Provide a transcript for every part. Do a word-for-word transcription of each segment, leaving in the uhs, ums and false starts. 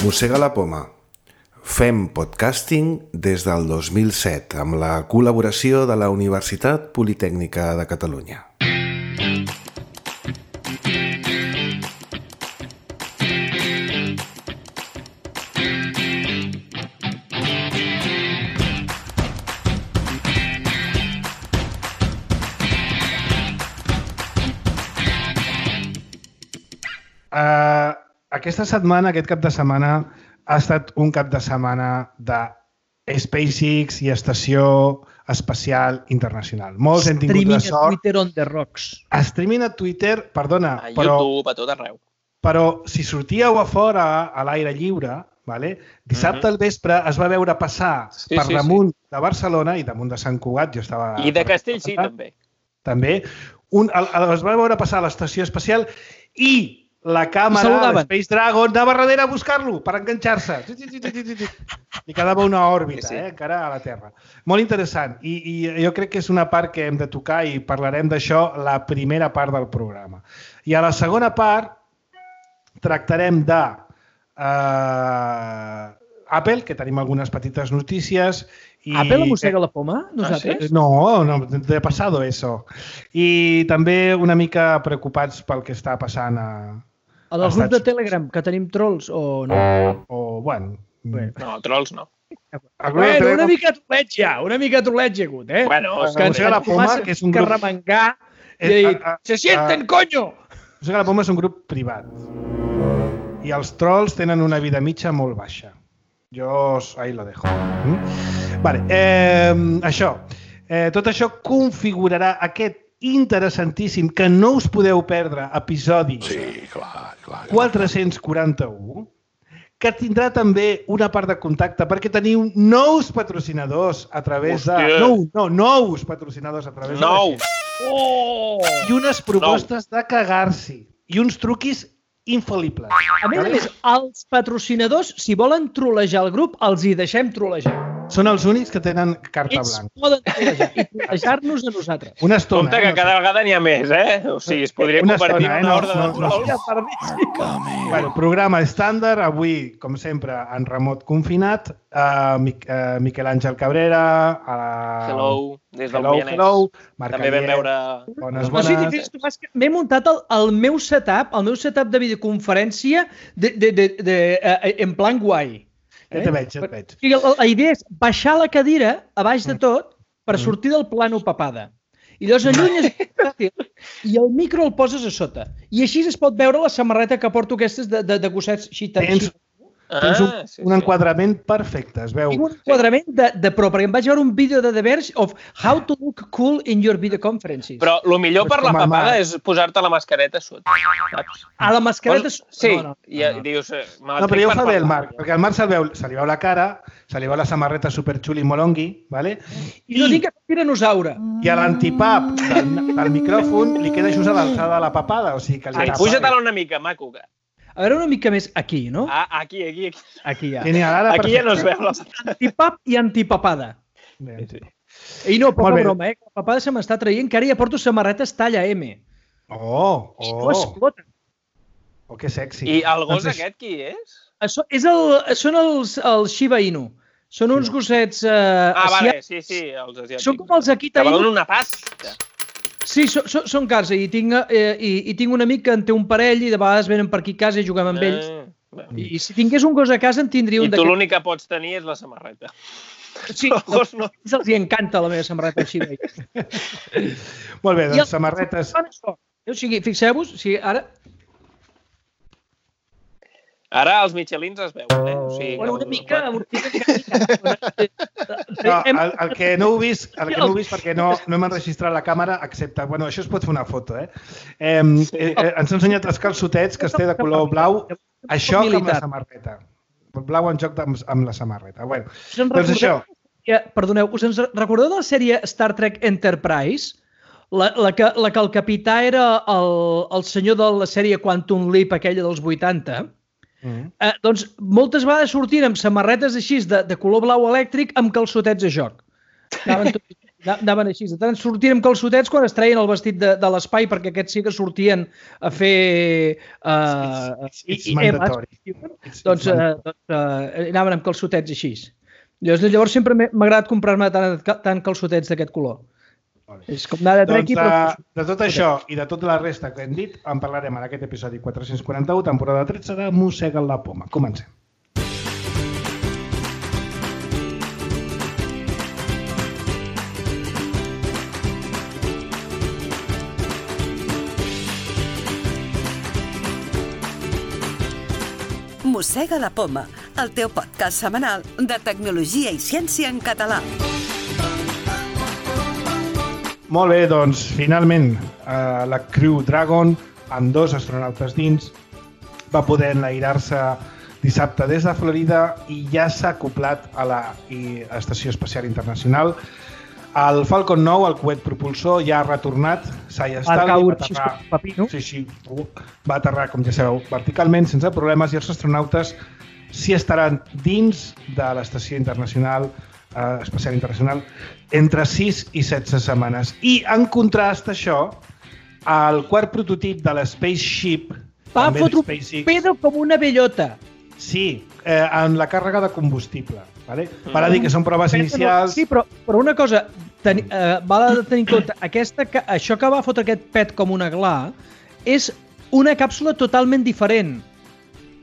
Mossega la poma. Fem podcasting des del dos mil set amb la col·laboració de la Universitat Politècnica de Catalunya. Uh, aquesta setmana, aquest cap de setmana, ha estat un cap de setmana de SpaceX i Estació Espacial Internacional. Molts hem tingut la sort. Streaming a Twitter on the rocks. Streaming a Twitter, perdona, a però, YouTube, a tot arreu. Però si sortíeu a fora, a l'aire lliure, vale? Dissabte al vespre es va veure passar Sí, per sí, damunt de Barcelona i damunt de Sant Cugat, jo estava... I de Castellcí, també. També. Un, el, el, es va veure passar a l'Estació Espacial i la càmera de Space Dragon anava darrere a buscar-lo per enganxar-se. I quedava una òrbita, sí, sí. Eh, encara a la Terra. Molt interessant. I, I jo crec que és una part que hem de tocar i parlarem d'això la primera part del programa. I a la segona part tractarem de uh, Apple, que tenim algunes petites notícies. I... Apple mossega la poma, nosaltres? Ah, sí? No, no, de pasado eso. I també una mica preocupats pel que està passant a... A dels grups de Telegram, que tenim trolls, o no? O, bueno... Bé. No, trolls no. Bueno, una mica troleig ja, una mica troleig hi ha hagut, eh? Bueno, que ens la poma, que és un grup... Que remengar i dir, se sienten, coño! Mossega la poma és un grup privat. I els trolls tenen una vida mitja molt baixa. Jo ahí lo dejo. Mm? Vale, eh, això. Eh, tot això configurarà aquest interessantíssim, que no us podeu perdre, episodi Sí, clar, clar. quatre-cents quaranta-u, que tindrà també una part de contacte perquè teniu nous patrocinadors a través de... Hòstia. No, no, nous patrocinadors a través de... Nou! Oh! I unes propostes de cagar-s'hi. I uns truquis infal·libles. A més a més, els patrocinadors, si volen trolejar el grup, els hi deixem trolejar. Són els únics que tenen carta Ells blanca. poden trolejar i trolejar-nos a nosaltres. Una estona. Compte que eh? cada vegada n'hi ha més, eh? O sigui, es podria Una convertir estona, en eh? una No, horda de no, no. trolls. Bueno, programa estàndard, avui, com sempre, en remot confinat, uh, Mic uh, Miquel Àngel Cabrera, uh, Hello, des del hello, Moianès. hello, Marc També vam Alier, veure... bones, No sé si bones. fes, Tomàs, que m'he muntat el, el meu setup, el meu setup de videoconferència de, de, de, de, uh, en plan guai. Ja te veig, ja et veig. I la, la idea és baixar la cadira a baix de tot per sortir del plano papada. I llavors allunyes i el micro el poses a sota. I així es pot veure la samarreta que porto aquestes de, de, de gossets xita. Tens, tens un, sí, un enquadrament perfecte, es veu. Tinc un enquadrament de, de pro, perquè em vaig veure un vídeo de The Verge of how to look cool in your video conferences. Però el millor per Pues la com a papada Marc. és posar-te la mascareta a sota, saps? A la mascareta... Pos- Sí, No, no, i ja no, no. dius... eh, me la No, però trec ja ho per fa bé el parlar. Marc, perquè al Marc se li veu, se li veu la cara, se li veu la samarreta superxuli molongui, ¿vale? I no dic que és tiranosaure. I a l'antipap del, del micròfon li queda just a l'alçada de la papada, o sigui que li Sí, tapa. puja-te-la una mica, maco. que- A veure una mica més aquí, no? Ah, aquí, aquí, aquí. Aquí ja. Tiene ara Aquí ja no es veu la... Antipap i antipapada. Bé. I no, poca Molt bé. broma, eh? La papada se m'està traient, que ara ja porto samarretes talla M. Oh, I no oh, explota. oh, que sexy. I el gos Doncs aquest qui és? Això és el, són els, els Shiba Inu. Són uns gossets eh, Ah, vale, asiàtics. sí, sí, els asiàtics. Són com els Akita Que valen Inu. una pasta. Sí, so, so, són cars. I tinc, eh, i, I tinc un amic que en té un parell i de vegades venen per aquí a casa i juguem amb ells. Eh, bé. I, I si tingués un gos a casa en tindria I un tu d'aquests. l'únic que pots tenir és la samarreta. Sí, El gos no. els hi encanta la meva samarreta Shiba Inu. Molt bé, I doncs els- samarretes... O sigui, fixeu-vos, o sigui, ara... Ara els Michelins es veuen, eh? O sigui, Bueno, una que- mica... Una mica No, el, el que no heu vist, el que no heu vist perquè no, no hem enregistrat la càmera, excepte... Bueno, això es pot fer una foto, eh? eh, eh, eh ens ha ensenyat els calçotets que es té de color blau. Això que amb la samarreta. Blau en joc amb, amb la samarreta. Bueno, doncs això. Ja, perdoneu, us en recordeu de la sèrie Star Trek Enterprise? La, la, que, la que el capità era el, el senyor de la sèrie Quantum Leap, aquella dels vuitanta. Mm. Eh, doncs moltes vegades sortien amb samarretes així de, de color blau elèctric amb calçotets de joc. Estaven tots anaven així. De tant sortien amb calçotets quan es treien el vestit de, de l'espai, perquè aquests sí que sortien a fer... Uh, it's, it's, it's mandatori. Doncs, doncs uh, anaven amb calçotets així. Llavors sempre m'ha agradat comprar-me tant, tant calçotets d'aquest color. És com anar de trequi, doncs, però... De, de tot això i de tota la resta que hem dit, en parlarem en aquest episodi quatre-cents quaranta-u, temporada tretze de Mossega la Poma. Comencem. Mossega la Poma, el teu podcast setmanal de tecnologia i ciència en català. Molt bé, doncs, finalment, eh, la Crew Dragon, amb dos astronautes dins, va poder enlairar-se dissabte des de Florida i ja s'ha acoplat a la Estació Espacial Internacional. El Falcon nou, el coet propulsor, ja ha retornat, s'ha estat, va aterrar, papino. Sí, sí, va aterrar, com ja sabeu, verticalment, sense problemes, i els astronautes s'hi estaran dins de l'Estació Internacional, eh, Espacial Internacional, entre sis i setze setmanes. I, en contrast a això, el quart prototip de l'Spaceship, va fotre un pedo com una bellota. Sí, eh, en la càrrega de combustible. Vale? Val a dir que són proves inicials... Sí, però, però una cosa, ten, eh, val a tenir en compte, aquesta, això que va fotre aquest pet com una gla és una càpsula totalment diferent.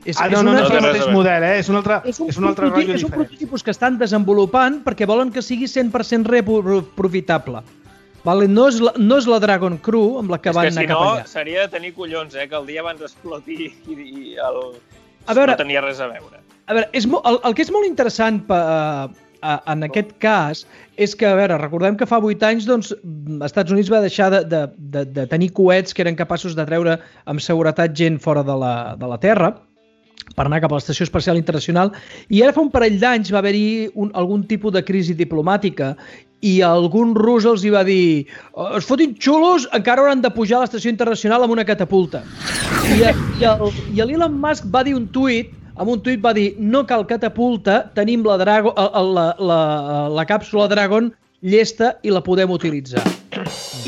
És, ah, no, és no, una, no, és el mateix model, eh? és un altre, és un, és un altre rotllo diferent. És un prototipus que estan desenvolupant perquè volen que sigui cent per cent reprofitable. Vale? No, és la, no és la Dragon Crew amb la que és van que, anar si cap no, allà. Seria de tenir collons, eh? Que el dia abans d'explotir i, i el... A veure, no tenia res a veure. A veure, és el, el que és molt interessant per, uh, en aquest cas és que, a veure, recordem que fa vuit anys doncs, els Estats Units va deixar de, de, de, de tenir coets que eren capaços de treure amb seguretat gent fora de la, de la Terra per anar cap a l'Estació Espacial Internacional, i ara fa un parell d'anys va haver-hi un, algun tipus de crisi diplomàtica i algun rus els hi va dir es fotin xulos, encara hauran de pujar a l'Estació Internacional amb una catapulta. I, i, el, i l'Elon Musk va dir un tuit amb un tuit va dir, no cal catapulta, tenim la, Drago, la, la, la càpsula Dragon llesta i la podem utilitzar.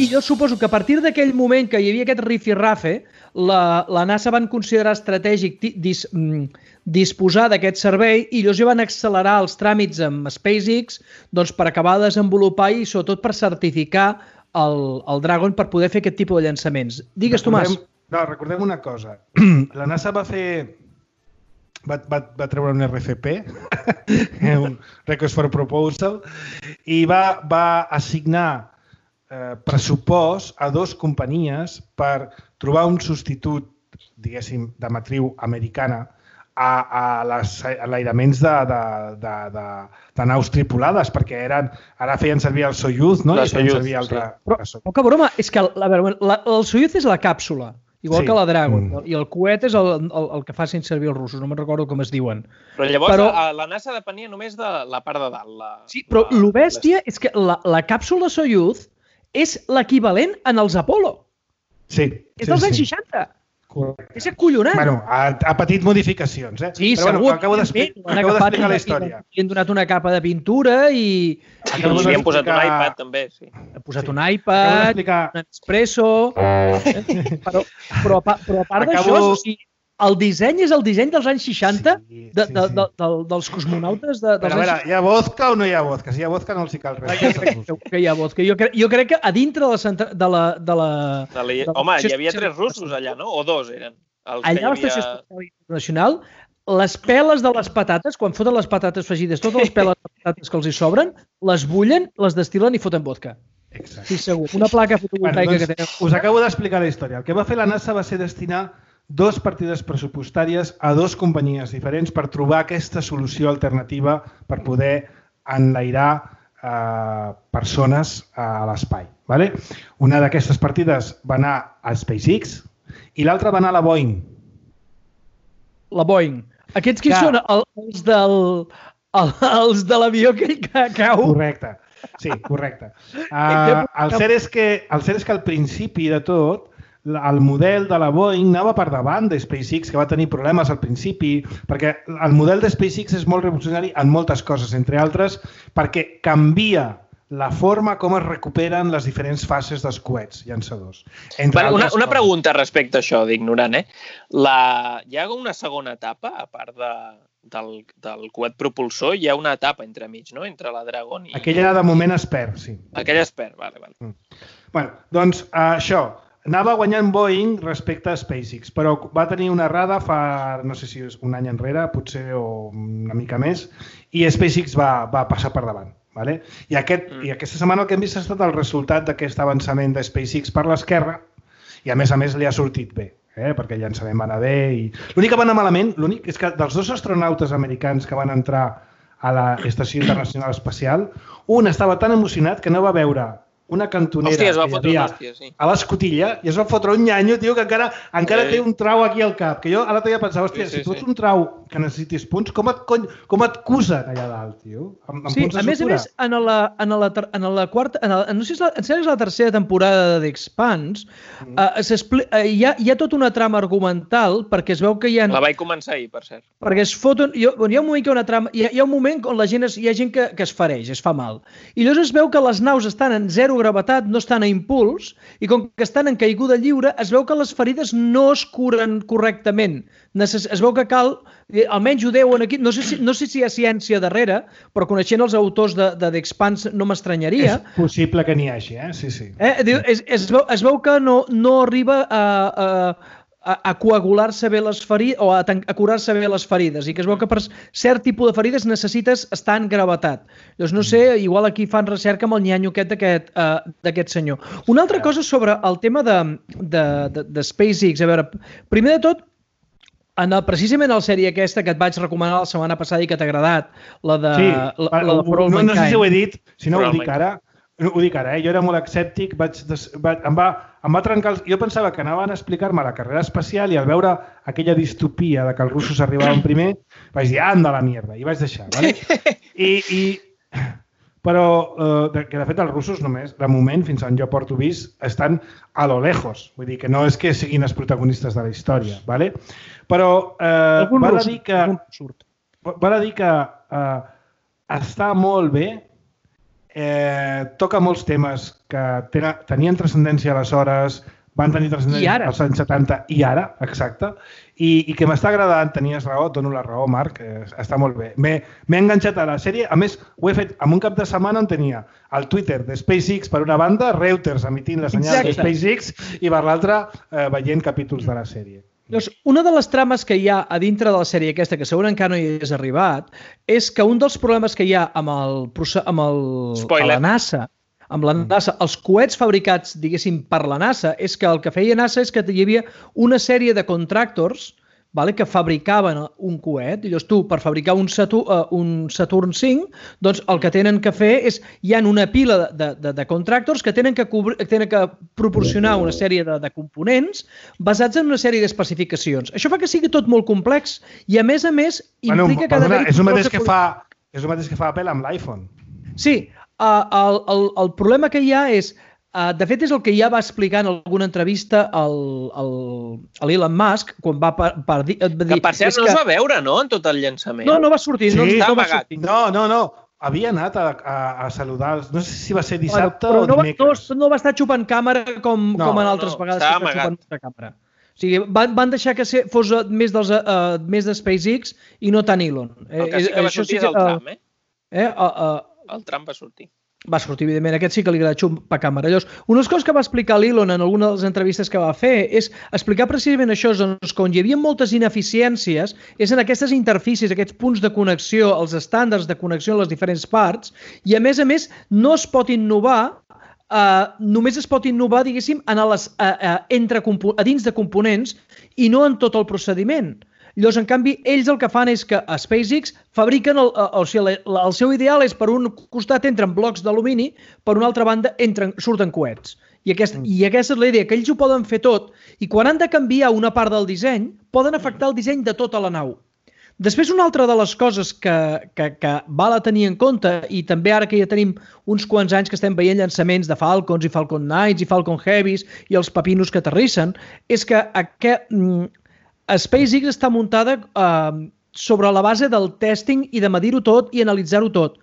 I jo suposo que a partir d'aquell moment que hi havia aquest rifirrafe, la, la NASA van considerar estratègic dis, disposar d'aquest servei i llavors ja van accelerar els tràmits amb SpaceX doncs, per acabar de desenvolupar i sobretot per certificar el, el Dragon per poder fer aquest tipus de llançaments. Digues, recordem, Tomàs. No, recordem una cosa. La NASA va fer... Va, va, va treure un R F P, un Request for Proposal, i va, va assignar eh, pressupost a dues companyies per trobar un substitut, diguéssim, de matriu americana a, a les enlairaments de, de, de, de, de naus tripulades, perquè eren, ara feien servir el Soyuz, no? La I feien Soyuz, servir altre... sí. Però, poca broma, és que la, la, el Soyuz és la càpsula. Igual sí. que la Dragon, mm. i el coet és el, el, el que facin servir els russos, no me'n recordo com es diuen. Però llavors però... la, la NASA depenia només de la part de dalt. La, sí, però la, lo bèstia és que la, la càpsula Soyuz és l'equivalent en els Apollo. Sí. És dels sí, anys sí. seixanta. Correcte. És acollonant. Bueno, ha, ha patit modificacions, eh? Sí, però, segur. Bueno, acabo d'explicar la història. Li han donat una capa de pintura i... Acabo I li han posat un iPad, també, sí. Ha posat sí. un iPad, un Espresso... però, però, però a part acabo... d'això, o sigui, el disseny és el disseny dels anys seixanta sí, de, sí, de, sí. de, de, dels cosmonautes de, dels però, a veure, hi ha vodka o no hi ha vodka? Si hi ha vodka no els hi cal res. Jo crec que hi ha vodka. Jo crec, jo crec que a dintre de la... De la, de la, de la, de la home, hi havia tres russos allà, no? O dos eren. Els allà a l'Estació havia... Espacial Internacional, les peles de les patates, quan foten les patates fregides, totes les peles de patates que els hi sobren, les bullen, les destil·len i foten vodka. Exacte. Sí, segur. Una placa fotovoltaica bueno, doncs, que tenen. Us acabo d'explicar la història. El que va fer la NASA va ser destinar dos partides pressupostàries a dues companyies diferents per trobar aquesta solució alternativa per poder enlairar eh, persones a l'espai. Vale? Una d'aquestes partides va anar a SpaceX i l'altra va anar a la Boeing. La Boeing. Aquests qui que... són els, del, els de l'avió que cau? Correcte. Sí, correcte. Uh, el, cert és que, el cert és que al principi de tot el model de la Boeing anava per davant de SpaceX, que va tenir problemes al principi, perquè el model de SpaceX és molt revolucionari en moltes coses, entre altres perquè canvia la forma com es recuperen les diferents fases dels coets llançadors. Bueno, una, una pregunta respecte a això, d'ignorant, eh? La... Hi ha una segona etapa, a part de, del, del coet propulsor, hi ha una etapa entremig, no?, entre la Dragon i... Aquella de moment es perd, sí. Aquella es perd, vale, vale. Mm. Bueno, doncs uh, això, anava guanyant Boeing respecte a SpaceX, però va tenir una errada fa, no sé si és un any enrere, potser o una mica més, i SpaceX va, va passar per davant. Vale? I, aquest, mm. I aquesta setmana el que hem vist ha estat el resultat d'aquest avançament de SpaceX per l'esquerra i a més a més li ha sortit bé, eh? Perquè el llançament va anar bé i... L'únic que va anar malament, l'únic és que dels dos astronautes americans que van entrar a l'Estació Internacional Espacial, un estava tan emocionat que no va veure una cantonera hòstia, es va que hi fotre havia hòstia, sí. a l'escotilla i es va fotre un nyanyo, tio, que encara, encara sí. té un trau aquí al cap. Que jo ara t'havia pensat, hòstia, sí, sí, si tu ets sí. un trau que necessitis punts, com et, cony, com et cusen allà dalt, tio? Amb, amb sí, punts de a més a més, en la, en la, en la quarta, en la, no sé si és la, és la tercera temporada d'Expanse, mm. uh, uh, hi, ha, hi ha tota una trama argumental perquè es veu que hi ha... La vaig començar ahir, per cert. Perquè es foten... Hi ha, hi ha un moment que una trama... Hi ha, hi ha un moment on la gent es, hi ha gent que, que es fereix, es fa mal. I llavors es veu que les naus estan en zero gravetat, no estan a impuls, i com que estan en caiguda lliure, es veu que les ferides no es curen correctament. Necess... Es veu que cal, almenys ho deuen aquí, no sé si, no sé si hi ha ciència darrere, però coneixent els autors de, de d'Expanse no m'estranyaria. És possible que n'hi hagi, eh? Sí, sí. Eh? Es, es, veu, es veu que no, no arriba a... a a, a coagular-se bé les ferides o a, a curar-se bé les ferides i que es veu que per cert tipus de ferides necessites estar en gravetat. Llavors, no sé, igual aquí fan recerca amb el nyanyo aquest d'aquest uh, senyor. Una altra cosa sobre el tema de, de, de, de SpaceX. A veure, primer de tot, en el, precisament a la sèrie aquesta que et vaig recomanar la setmana passada i que t'ha agradat, la de... Sí, la, la de no, no sé si ho he dit, si no ho dic ara, ho dic ara, eh? Jo era molt escèptic, vaig des, vaig, em, va, em va trencar... Els, jo pensava que anaven a explicar-me la carrera espacial i al veure aquella distopia de que els russos arribaven primer, vaig dir, anda la mierda, i vaig deixar, ¿vale? I, i, però, eh, que de fet els russos només, de moment, fins on jo porto vist, estan a lo lejos. Vull dir que no és que siguin els protagonistes de la història, ¿vale? Però eh, val a dir que, val a dir que eh, està molt bé. Eh, toca molts temes que tenen, tenien transcendència aleshores, van tenir transcendència als anys setanta i ara, exacte, i, i que m'està agradant, tenies raó, et dono la raó, Marc, eh, està molt bé. M'he enganxat a la sèrie, a més, ho he fet en un cap de setmana on tenia el Twitter de SpaceX per una banda, Reuters emitint la senyal de SpaceX i per l'altra eh, veient capítols de la sèrie. Llavors, una de les trames que hi ha a dintre de la sèrie aquesta, que segurament encara no hi has arribat, és que un dels problemes que hi ha amb, el, amb, el, amb la NASA, amb la NASA, els coets fabricats, diguéssim, per la NASA, és que el que feia NASA és que hi havia una sèrie de contractors, vale, que fabricaven un coet, i llavors tu, per fabricar un Saturn, uh, un Saturn cinc, doncs el que tenen que fer és, hi ha una pila de, de, de contractors que tenen que, cobrir, tenen que proporcionar una sèrie de, de components basats en una sèrie d'especificacions. Això fa que sigui tot molt complex i, a més a més, implica bueno, que... Perdona, és el mateix que, fa, és el mateix que fa Apple amb l'iPhone. Sí, uh, el, el, el problema que hi ha és... Uh, de fet, és el que ja va explicar en alguna entrevista a l'Elon Musk, quan va per, per dir... Que per cert no que... es va veure, no?, en tot el llançament. No, no va sortir. Sí, no, no, va sortir. no, no, no. Havia anat a, a, a saludar, no sé si va ser dissabte bueno, o no dimecres. Va, no, no va estar xupant càmera com, no, com en altres no, vegades. Estava amagat. Càmera. O sigui, van, van deixar que fos més, dels, uh, més de SpaceX i no tant Elon. El que sí que va Això sortir sí que, és el tram, eh? eh? Uh, uh, el tram va sortir. Va sortir, evidentment. Aquest sí que li agrada xupar càmera. Llavors, una de les coses que va explicar l'Elon en alguna de les entrevistes que va fer és explicar precisament això, doncs, que on hi havia moltes ineficiències és en aquestes interfícies, aquests punts de connexió, els estàndards de connexió en les diferents parts, i a més a més no es pot innovar, uh, només es pot innovar, diguéssim, en les, uh, uh, entre, a dins de components i no en tot el procediment. Llavors, en canvi, ells el que fan és que a SpaceX fabriquen, el, el, o sigui, el seu ideal és per un costat entren blocs d'alumini, per una altra banda entren, surten coets. I, aquest, mm. I aquesta és la idea, que ells ho poden fer tot i quan han de canviar una part del disseny, poden afectar el disseny de tota la nau. Després, una altra de les coses que, que, que val a tenir en compte, i també ara que ja tenim uns quants anys que estem veient llançaments de Falcons i Falcon Knights i Falcon Heavies i els papinos que aterrissen, és que aquest... SpaceX està muntada eh, sobre la base del testing i de medir-ho tot i analitzar-ho tot.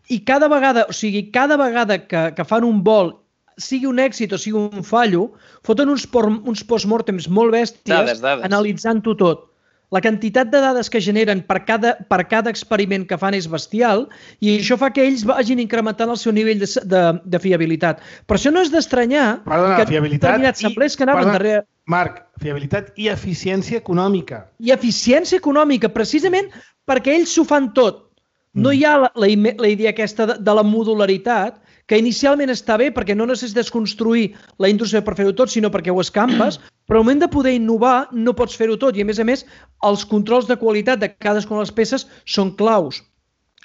i cada vegada, o sigui, cada vegada que, que fan un vol, sigui un èxit o sigui un fallo, foten uns, uns postmortems molt bèsties dades, dades. analitzant-ho tot. La quantitat de dades que generen per cada, per cada experiment que fan és bestial i això fa que ells vagin incrementant el seu nivell de, de, de fiabilitat. Per això no és d'estranyar que determinats semblers que anaven darrere... Marc, fiabilitat i eficiència econòmica. I eficiència econòmica, precisament perquè ells s'ho fan tot. No hi ha la, la, la idea aquesta de, de la modularitat, que inicialment està bé perquè no necessites construir la indústria per fer-ho tot, sinó perquè ho escampes, però al moment de poder innovar no pots fer-ho tot i, a més a més, els controls de qualitat de cadascuna de les peces són claus.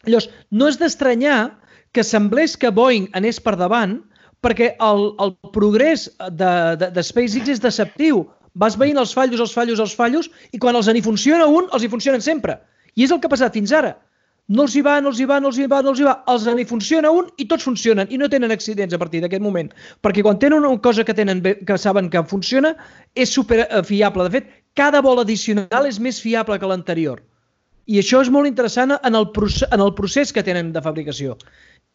Llavors, no és d'estranyar que semblés que Boeing anés per davant perquè el, el progrés de, de, de SpaceX és deceptiu. Vas veient els fallos, els fallos, els fallos i quan els n'hi funciona un, els hi funcionen sempre. I és el que ha passat fins ara. No els hi va, no els hi va, no els hi va, no els hi va. Els n'hi funciona un i tots funcionen i no tenen accidents a partir d'aquest moment. Perquè quan tenen una cosa que, tenen bé, que saben que funciona, és super fiable. De fet, cada vol addicional és més fiable que l'anterior. I això és molt interessant en el, procés, en el procés que tenen de fabricació.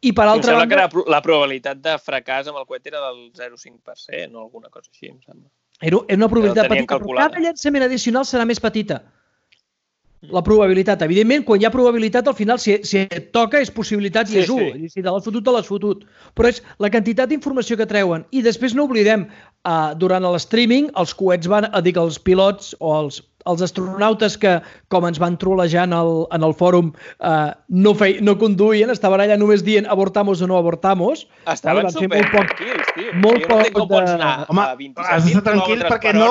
I per altra banda... Em sembla banda, que la, la probabilitat de fracàs amb el coet era del zero coma cinc per cent o alguna cosa així, em sembla. Era, era una probabilitat petita, però cada llançament addicional serà més petita. La probabilitat. Evidentment, quan hi ha probabilitat, al final, si, si et toca, és possibilitat i és u. Sí. Si te l'has fotut, te l'has fotut. Però és la quantitat d'informació que treuen. I després no oblidem, uh, durant l'streaming, els coets van, a dir que els pilots o els, els astronautes que, com ens van trolejar en el, en el fòrum, uh, no, fei, no conduïen, estaven allà només dient avortamos o no avortamos. Estaven supertranquils, tio. Molt jo no poc com de... pots anar Home, a vint-i-set has d'estar tranquil perquè no,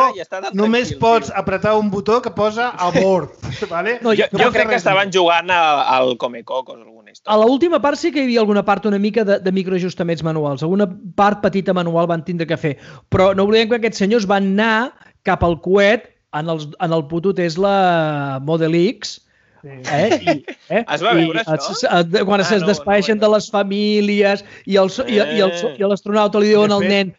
només pots tio. apretar un botó que posa abort. Vale? No, jo, jo crec que estaven jugant al Comecocos o alguna història. A l'última part sí que hi havia alguna part una mica de, de microajustaments manuals. Alguna part petita manual van tindre que fer. Però no oblidem que aquests senyors van anar cap al coet en, els, en el puto Tesla Model X. Sí. Eh? I, eh? Es va veure, I, això? Es, es, quan ah, es no, despedeixen no, no. de les famílies i l'astronauta li diuen al nen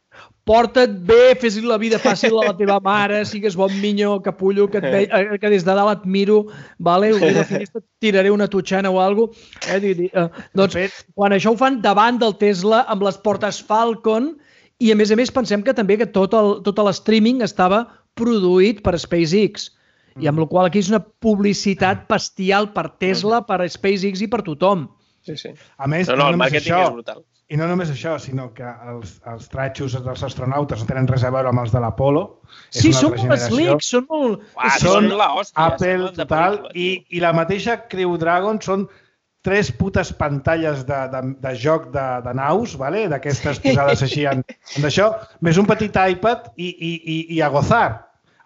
porta't bé, fes la vida fàcil a la teva mare, sigues bon minyó, capullo, que, et ve, que des de dalt et miro, vale? Obrir la finestra, tiraré una tutxana o alguna cosa. Eh? Eh, doncs, quan això ho fan davant del Tesla, amb les portes Falcon, i a més a més pensem que també que tot el, tot l'streaming estava produït per SpaceX, i amb la qual aquí és una publicitat bestial per Tesla, per SpaceX i per tothom. Sí, sí. A més, no, no, no el màrqueting això, és brutal. I no només això, sinó que els, els tratxos dels astronautes no tenen res a veure amb els de l'Apolo. Sí, són molt slicks, són molt... Uah, són la hòstia. Apple, total, i, i la mateixa Crew Dragon són tres putes pantalles de, de, de joc de, de naus, vale? D'aquestes posades així en, en això, més un petit iPad i, i, i, i a gozar,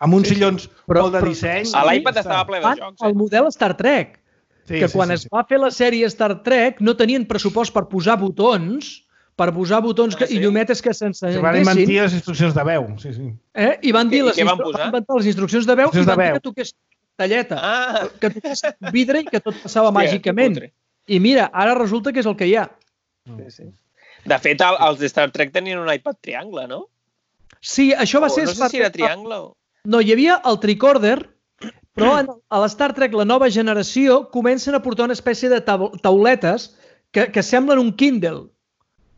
amb uns sí, sillons però, molt de disseny. A l'iPad estava ple de jocs. El model Star Trek, sí, que sí, quan sí, es sí. va fer la sèrie Star Trek no tenien pressupost per posar botons, per posar botons que, ah, sí? i llumetes que s'ensenyessin. Van inventar les instruccions de veu. Sí, sí. Eh? I van dir I, les, i instru... van inventar les instruccions de veu i van dir que toqués talleta, ah. que toqués vidre i que tot passava Hòstia, màgicament. I mira, ara resulta que és el que hi ha. Sí, sí. De fet, el, els de Star Trek tenien un iPad triangle, no? Sí, això va o, ser... No sé si era triangle o... No, hi havia el tricorder, però a l'Star Trek, la nova generació, comencen a portar una espècie de tauletes que, que semblen un Kindle.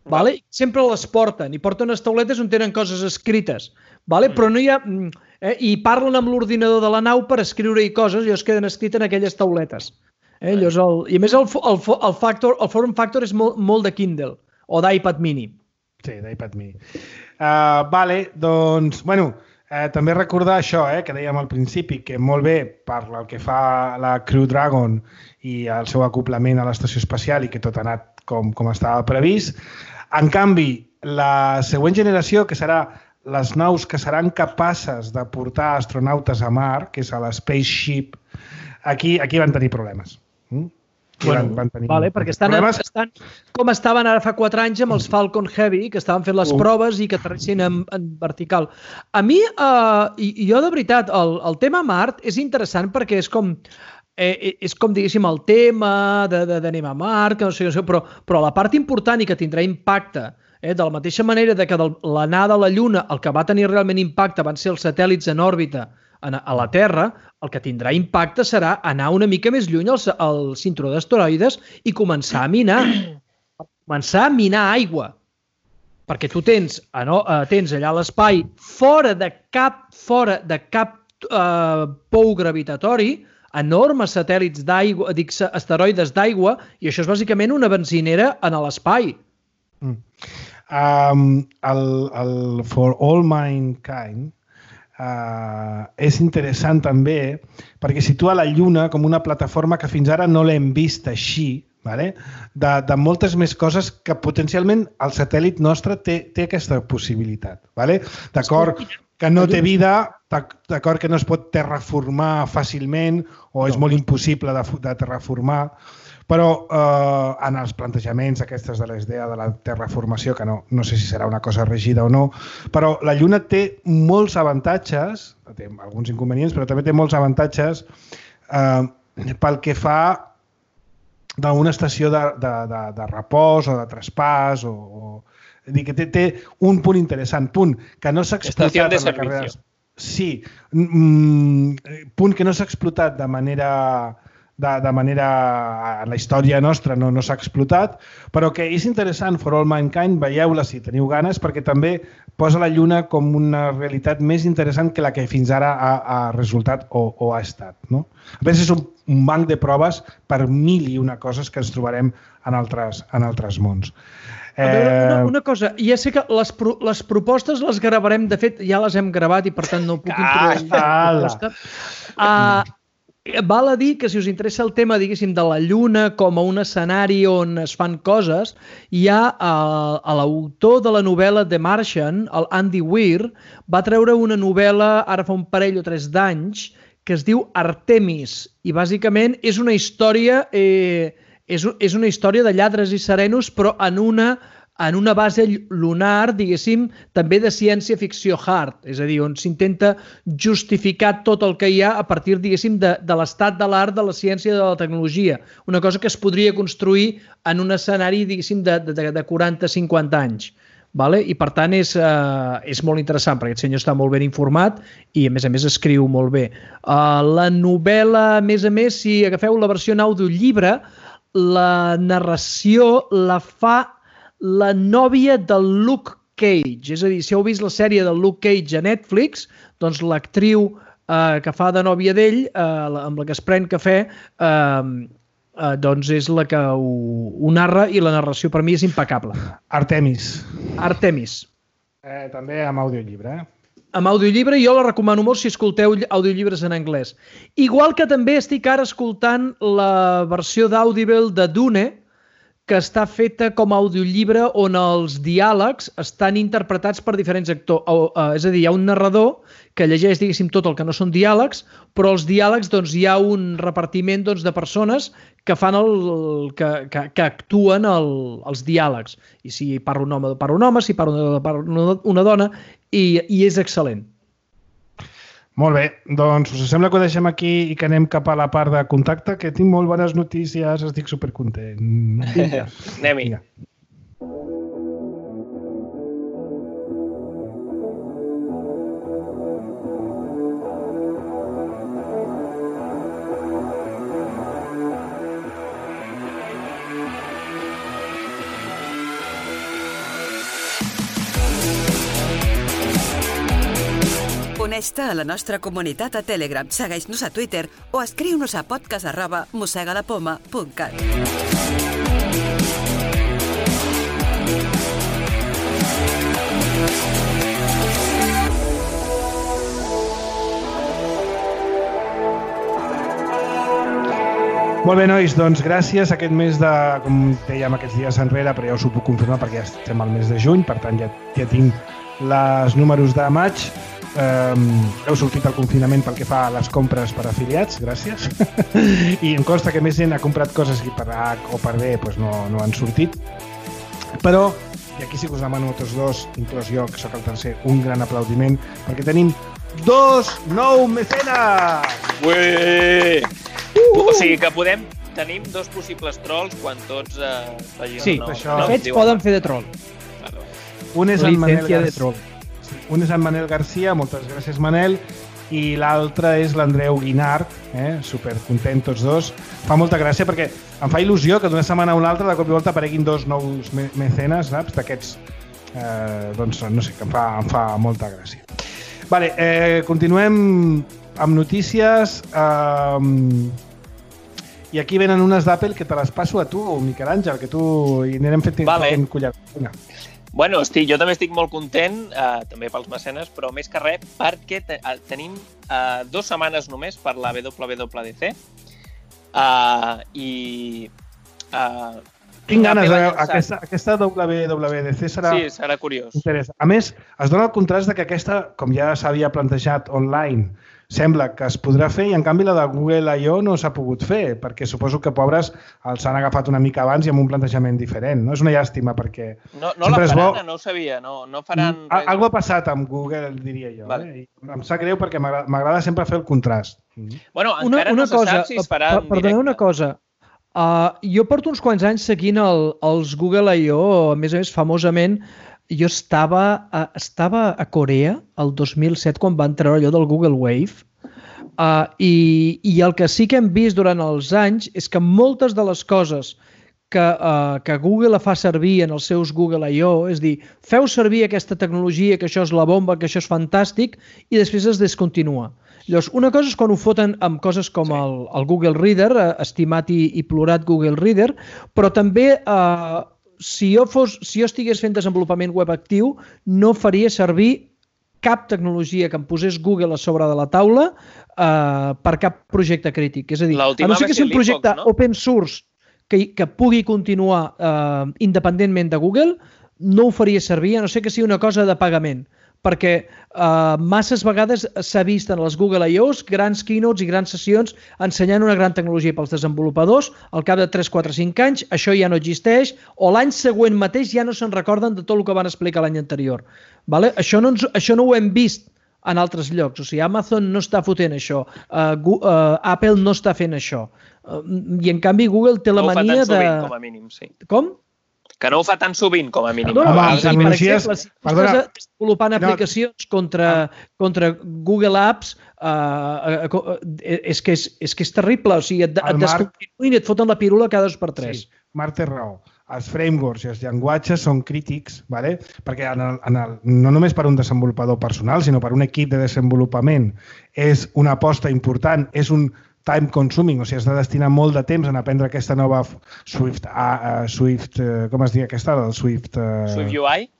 Vale? Sempre les porten, i porten unes tauletes on tenen coses escrites. Vale? Però no hi ha... Eh, I parlen amb l'ordinador de la nau per escriure-hi coses i es queden escrites en aquelles tauletes. Eh? Llavors el, I a més el, el, el, factor, el form factor és molt, molt de Kindle o d'iPad mini. Sí, d'iPad mini. Uh, vale, doncs, bueno... Eh, també recordar això, eh, que dèiem al principi, que molt bé per el que fa la Crew Dragon i el seu acoplament a l'estació espacial i que tot ha anat com, com estava previst. En canvi, la següent generació, que serà les naus que seran capaces de portar astronautes a Mar, que és a la Spaceship, aquí, aquí van tenir problemes. Mm? Bueno, van, van tenir vale, perquè estan, estan com estaven ara fa quatre anys amb els Falcon Heavy, que estaven fent les uh. proves i que aterrissin en, en vertical. A mi, eh, i, jo de veritat, el, el tema Mart és interessant perquè és com, eh, és com diguéssim, el tema d'anem a Mart, que no sé, no sé, però, però la part important i que tindrà impacte, eh, de la mateixa manera de que l'anada a la Lluna, el que va tenir realment impacte van ser els satèl·lits en òrbita a la Terra, el que tindrà impacte serà anar una mica més lluny al, al cinturó d'asteroides i començar a minar. Començar a minar aigua. Perquè tu tens, no, tens allà a l'espai, fora de cap, fora de cap eh, pou gravitatori, enormes satèl·lits d'aigua, dic, asteroides d'aigua, i això és bàsicament una benzinera en l'espai. Mm. Um, el, el For All Mankind uh, és interessant també perquè situa la Lluna com una plataforma que fins ara no l'hem vist així, vale? de, de moltes més coses que potencialment el satèl·lit nostre té, té aquesta possibilitat. Vale? D'acord que no té vida, d'acord que no es pot terraformar fàcilment o és molt impossible de, de terraformar, però eh, en els plantejaments aquestes de l'idea de la terraformació, que no, no sé si serà una cosa rígida o no, però la Lluna té molts avantatges, té alguns inconvenients, però també té molts avantatges eh, pel que fa d'una estació de, de, de, de repòs o de traspàs o, o dir que té, té un punt interessant, punt que no s'ha explotat en la carrera. Sí, mm, punt que no s'ha explotat de manera de, de manera en la història nostra no, no s'ha explotat, però que és interessant, For All Mankind, veieu-la si teniu ganes, perquè també posa la Lluna com una realitat més interessant que la que fins ara ha, ha resultat o, o ha estat. No? A més, és un, un banc de proves per mil i una coses que ens trobarem en altres, en altres mons. A veure, una, una cosa, ja sé que les, pro, les propostes les gravarem, de fet ja les hem gravat i per tant no puc introduir la proposta. Uh, Val a dir que si us interessa el tema, diguéssim, de la Lluna com a un escenari on es fan coses, hi ha uh, a l'autor de la novel·la The Martian, el Andy Weir, va treure una novel·la ara fa un parell o tres d'anys que es diu Artemis i bàsicament és una història eh, és, és una història de lladres i serenos però en una en una base lunar, diguéssim, també de ciència-ficció hard, és a dir, on s'intenta justificar tot el que hi ha a partir, diguéssim, de, de l'estat de l'art, de la ciència i de la tecnologia. Una cosa que es podria construir en un escenari, diguéssim, de, de, de quaranta a cinquanta anys. Vale? I, per tant, és, uh, és molt interessant, perquè aquest senyor està molt ben informat i, a més a més, escriu molt bé. Uh, la novel·la, a més a més, si agafeu la versió en audiollibre, la narració la fa la nòvia del Luke Cage. És a dir, si heu vist la sèrie del Luke Cage a Netflix, doncs l'actriu eh, que fa de nòvia d'ell, eh, amb la que es pren cafè, eh, eh, doncs és la que ho, ho narra i la narració per mi és impecable. Artemis. Artemis. Eh, també amb audiollibre, eh? Amb audiollibre jo la recomano molt si escolteu audiollibres en anglès. Igual que també estic ara escoltant la versió d'Audible de Dune, que està feta com a audiollibre on els diàlegs estan interpretats per diferents actors. És a dir, hi ha un narrador que llegeix, diguéssim, tot el que no són diàlegs, però els diàlegs, doncs, hi ha un repartiment doncs, de persones que fan el, que, que, que actuen el, els diàlegs. I si parla un home, parla un home, si parla una, una dona, i, i és excel·lent. Molt bé, doncs us sembla que ho deixem aquí i que anem cap a la part de contacte, que tinc molt bones notícies, estic supercontent. Anem-hi. Uneix-te a la nostra comunitat a Telegram, segueix-nos a Twitter o escriu-nos a podcast arroba mossegalapoma punt cat. Molt bé, nois, doncs gràcies. Aquest mes de, com dèiem aquests dies enrere, però ja us ho puc confirmar perquè ja estem al mes de juny, per tant ja, ja tinc els números de maig. Um, heu sortit al confinament pel que fa a les compres per afiliats, gràcies. I em consta que més gent ha comprat coses que per A o per B doncs no, no han sortit. Però, i aquí sí que us demano a tots dos, inclòs jo, que sóc el tercer, un gran aplaudiment, perquè tenim dos nou mecenes! Ué! Uh! O sigui que podem... Tenim dos possibles trolls quan tots eh, vagin... Sí, no, això. No, de fet, poden fer de troll. Un és en Manel Garcia. Un és en Manel Garcia, moltes gràcies Manel, i l'altre és l'Andreu Guinart, eh? Supercontent tots dos. Fa molta gràcia perquè em fa il·lusió que d'una setmana a una altra de cop i volta apareguin dos nous me mecenes, saps? D'aquests, eh, doncs no sé, que em fa, em fa molta gràcia. Vale, eh, continuem amb notícies. Eh, I aquí venen unes d'Apple que te les passo a tu, Miquel Àngel, que tu hi anirem fent vale. collar. Vinga. Bueno, estic, jo també estic molt content, eh, també pels mecenes, però més que res perquè te, eh, tenim eh, dues setmanes només per la W W D C eh, i... Eh, Tinc ganes de veure, aquesta, aquesta W W D C serà... Sí, serà curiós. Interessa. A més, es dona el contrast de que aquesta, com ja s'havia plantejat online, sembla que es podrà fer i en canvi la de Google I O no s'ha pogut fer, perquè suposo que pobres els han agafat una mica abans i amb un plantejament diferent. No? És una llàstima perquè... No, no la faran, bo... no ho sabia, no, no faran... Res... Algo ha passat amb Google, diria jo. Vale. Eh? I em sap greu perquè m'agrada sempre fer el contrast. Bueno, encara una, una no se cosa, sap si es farà en perdoneu directe. una cosa. Uh, jo porto uns quants anys seguint el, els Google I O, a més a més, famosament, jo estava a, estava a Corea el dos mil set quan van treure allò del Google Wave. Uh, i, i el que sí que hem vist durant els anys és que moltes de les coses que, uh, que Google fa servir en els seus Google I O, és dir, feu servir aquesta tecnologia, que això és la bomba, que això és fantàstic, i després es descontinua. Llavors, una cosa és quan ho foten amb coses com sí. el, el Google Reader, uh, estimat i, i plorat Google Reader, però també uh, si, jo fos, si jo estigués fent desenvolupament web actiu, no faria servir cap tecnologia que em posés Google a sobre de la taula eh, per cap projecte crític. És a dir, a no ser que sigui un projecte no? open source que, que pugui continuar eh, independentment de Google, no ho faria servir, a no ser que sigui una cosa de pagament. Perquè eh, masses vegades s'ha vist en les Google I Os grans keynotes i grans sessions ensenyant una gran tecnologia pels desenvolupadors, al cap de tres, quatre, cinc anys això ja no existeix, o l'any següent mateix ja no se'n recorden de tot el que van explicar l'any anterior. Vale? Això, no ens, això no ho hem vist en altres llocs. O sigui, Amazon no està fotent això, uh, uh, Apple no està fent això. Uh, I en canvi Google té la no mania de... No ho fa tan sovint, com a mínim, sí. Com? Que no ho fa tan sovint, com a mínim. No, no, Home, per exemple, si estàs desenvolupant no. aplicacions contra, contra Google Apps, uh, uh, és, que és, és que és terrible. O sigui, et, et descontinuïn i et foten la pirula cada dos per tres. Sí, Marc té raó. Els frameworks i els llenguatges són crítics, ¿vale? Perquè en el, en el, no només per un desenvolupador personal, sinó per un equip de desenvolupament és una aposta important, és un time consuming, o sigui, has de destinar molt de temps en aprendre aquesta nova Swift, uh, uh, Swift uh, com es diu aquesta? El Swift... Uh, Swift U I?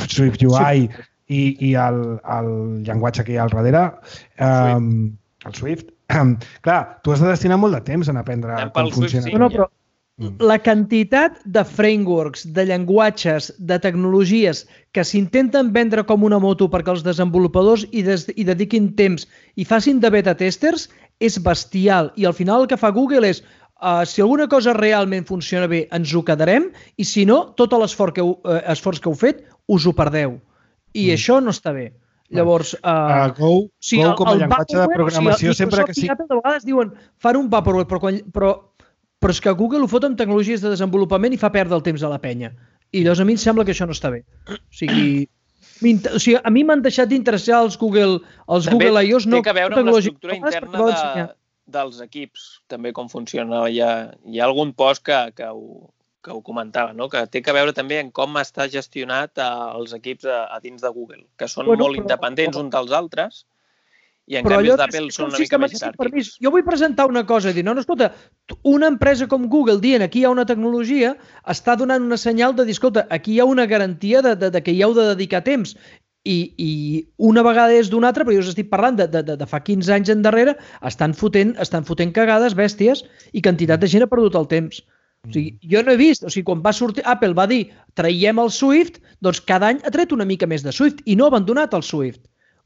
Swift U I sí. i, i el, el llenguatge que hi ha al darrere, um, el Swift. Clar, tu has de destinar molt de temps en aprendre Anem com funciona. Swift, sí. No, però la quantitat de frameworks, de llenguatges, de tecnologies que s'intenten vendre com una moto perquè els desenvolupadors hi, des, hi dediquin temps i facin de beta testers és bestial. I al final el que fa Google és uh, si alguna cosa realment funciona bé ens ho quedarem i si no, tot l'esforç que, uh, esforç que heu fet us ho perdeu. I mm. això no està bé. Llavors, uh, uh, Go, o sigui, Go com a llenguatge de programació o sigui, sempre que sí. De vegades diuen fan un vaporware, però, quan, però però és que Google ho fot amb tecnologies de desenvolupament i fa perdre el temps a la penya. I llavors a mi em sembla que això no està bé. O sigui, o sigui a mi m'han deixat d'interessar els Google, els també Google I Os. Té no que veure amb l'estructura interna de, dels equips, també com funciona. Hi ha, hi ha algun post que, que, ho, que ho comentava, no? Que té que veure també en com està gestionat els equips a, a dins de Google, que són bueno, molt però, independents uns dels altres, i en canvi els d'Apple són una mica més jeràrquics. Jo vull presentar una cosa, dir, no, no, escolta, una empresa com Google dient aquí hi ha una tecnologia, està donant una senyal de dir, escolta, aquí hi ha una garantia de, de, de que hi heu de dedicar temps. I, i una vegada és d'una altra, però jo us estic parlant de, de, de, de fa quinze anys endarrere, estan fotent, estan fotent cagades, bèsties, i quantitat de gent ha perdut el temps. O sigui, jo no he vist, o sigui, quan va sortir, Apple va dir, traiem el Swift, doncs cada any ha tret una mica més de Swift, i no ha abandonat el Swift.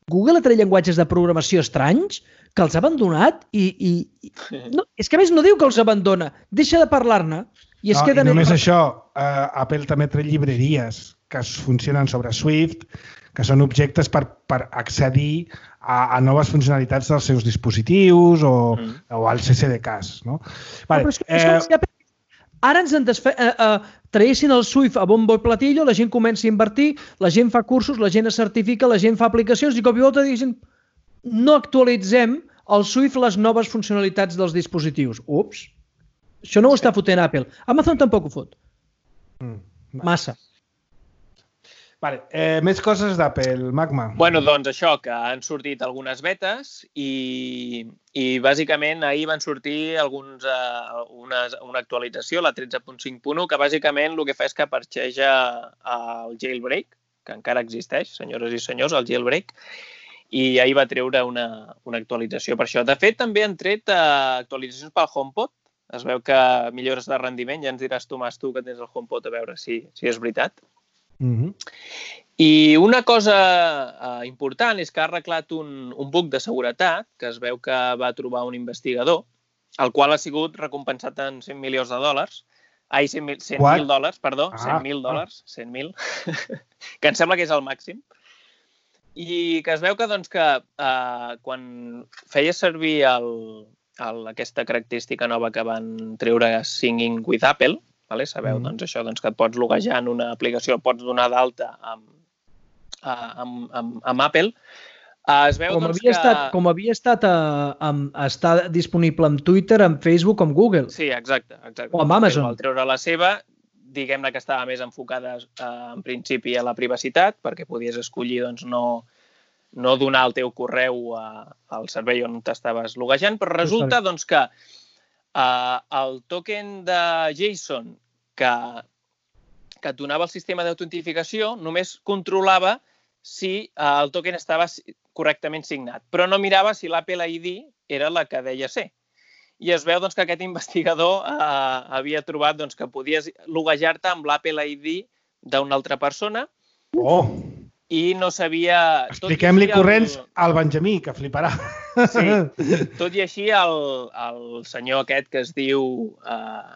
Google ha tret llenguatges de programació estranys que els ha abandonat i... i, i no, és que a més no diu que els abandona, deixa de parlar-ne. I, es no, queda i només això, uh, Apple també tret llibreries que funcionen sobre Swift, que són objectes per, per accedir a, a noves funcionalitats dels seus dispositius o, mm. o al C C D Ks. No? Vale, no, però és que, eh... és que ara ens en desfe... eh, eh, traguessin el Swift a bombo i platillo, la gent comença a invertir, la gent fa cursos, la gent es certifica, la gent fa aplicacions i cop i volta diguessin no actualitzem al Swift les noves funcionalitats dels dispositius. Ups, això no ho està fotent Apple. Amazon tampoc ho fot. Massa. Vale, eh, més coses d'Apple, Magma. Bueno, doncs això, que han sortit algunes betes i, i bàsicament ahir van sortir alguns, uh, una, una actualització, la tretze punt cinc punt u, que bàsicament el que fa és que parxeja el jailbreak, que encara existeix, senyores i senyors, el jailbreak, i ahir va treure una, una actualització per això. De fet, també han tret uh, actualitzacions pel HomePod. Es veu que millores de rendiment, ja ens diràs tu, Mas, tu que tens el HomePod, a veure si, si és veritat. Mm-hmm. I una cosa uh, important és que ha arreglat un, un bug de seguretat que es veu que va trobar un investigador, el qual ha sigut recompensat en cent milions de dòlars. Ai, cent mil dòlars, perdó, ah, cent mil dòlars, cent mil, que em sembla que és el màxim. I que es veu que, doncs, que uh, quan feies servir el, el, aquesta característica nova que van treure Singing with Apple, vale? Sabeu, mm. doncs, això, doncs, que et pots loguejar en una aplicació, pots donar d'alta amb, amb, amb, amb Apple. Es veu, com, doncs, havia que... estat, com havia estat a, a, a estar disponible amb Twitter, amb Facebook, amb Google. Sí, exacte. exacte. O amb Amazon. Al treure la seva, diguem-ne que estava més enfocada eh, en principi a la privacitat, perquè podies escollir doncs, no, no donar el teu correu a, al servei on t'estaves loguejant, però resulta doncs, que Uh, el token de JSON que, que et donava el sistema d'autentificació només controlava si uh, el token estava correctament signat, però no mirava si l'Apple I D era la que deia ser. I es veu doncs, que aquest investigador uh, havia trobat doncs, que podies loguejar-te amb l'Apple I D d'una altra persona. Oh! I no sabia... Expliquem-li corrents el... al Benjamí, que fliparà. Sí, tot i així el, el senyor aquest que es diu uh,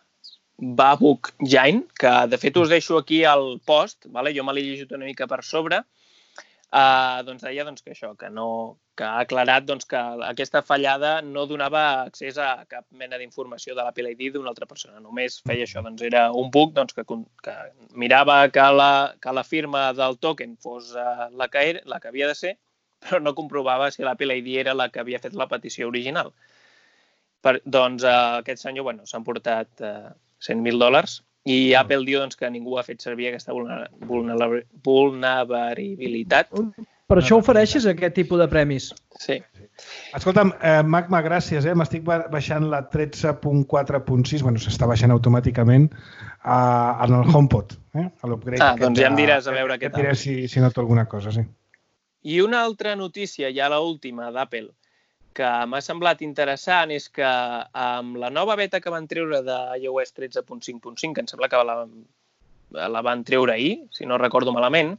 Babuk Jain, que de fet us deixo aquí al post, vale? Jo me l'he llegit una mica per sobre, uh, doncs deia doncs, que això, que, no, que ha aclarat doncs, que aquesta fallada no donava accés a cap mena d'informació de l'Apple I D d'una altra persona, només feia això, doncs era un bug doncs, que, que mirava que la, que la firma del token fos uh, la, que era, la que havia de ser, però no comprovava si l'Apple I D era la que havia fet la petició original. Per, doncs uh, aquest senyor bueno, s'ha emportat uh, cent mil dòlars i Apple diu doncs, que ningú ha fet servir aquesta vulnerabilitat. Per això ofereixes aquest tipus de premis. Sí. Escolta'm, eh, Magma, gràcies. Eh? M'estic baixant la tretze punt quatre punt sis, bueno, s'està baixant automàticament uh, en el HomePod. Eh? Ah, doncs ja em diràs a veure què tal. Et diré si, si noto alguna cosa, sí. I una altra notícia, ja l'última d'Apple, que m'ha semblat interessant és que amb la nova beta que van treure d'iOS tretze punt cinc punt cinc, que em sembla que la, la van treure ahir, si no recordo malament,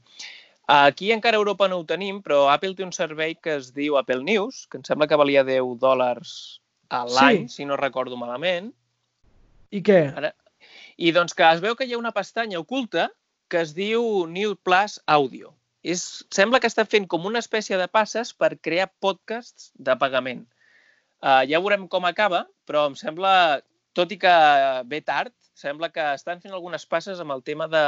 aquí encara a Europa no ho tenim, però Apple té un servei que es diu Apple News, que em sembla que valia deu dòlars a l'any, sí. Si no recordo malament. I què? Ara... I doncs que es veu que hi ha una pestanya oculta que es diu New Plus Audio. És, sembla que està fent com una espècie de passes per crear podcasts de pagament. Uh, ja veurem com acaba, però em sembla, tot i que ve tard, sembla que estan fent algunes passes amb el tema de,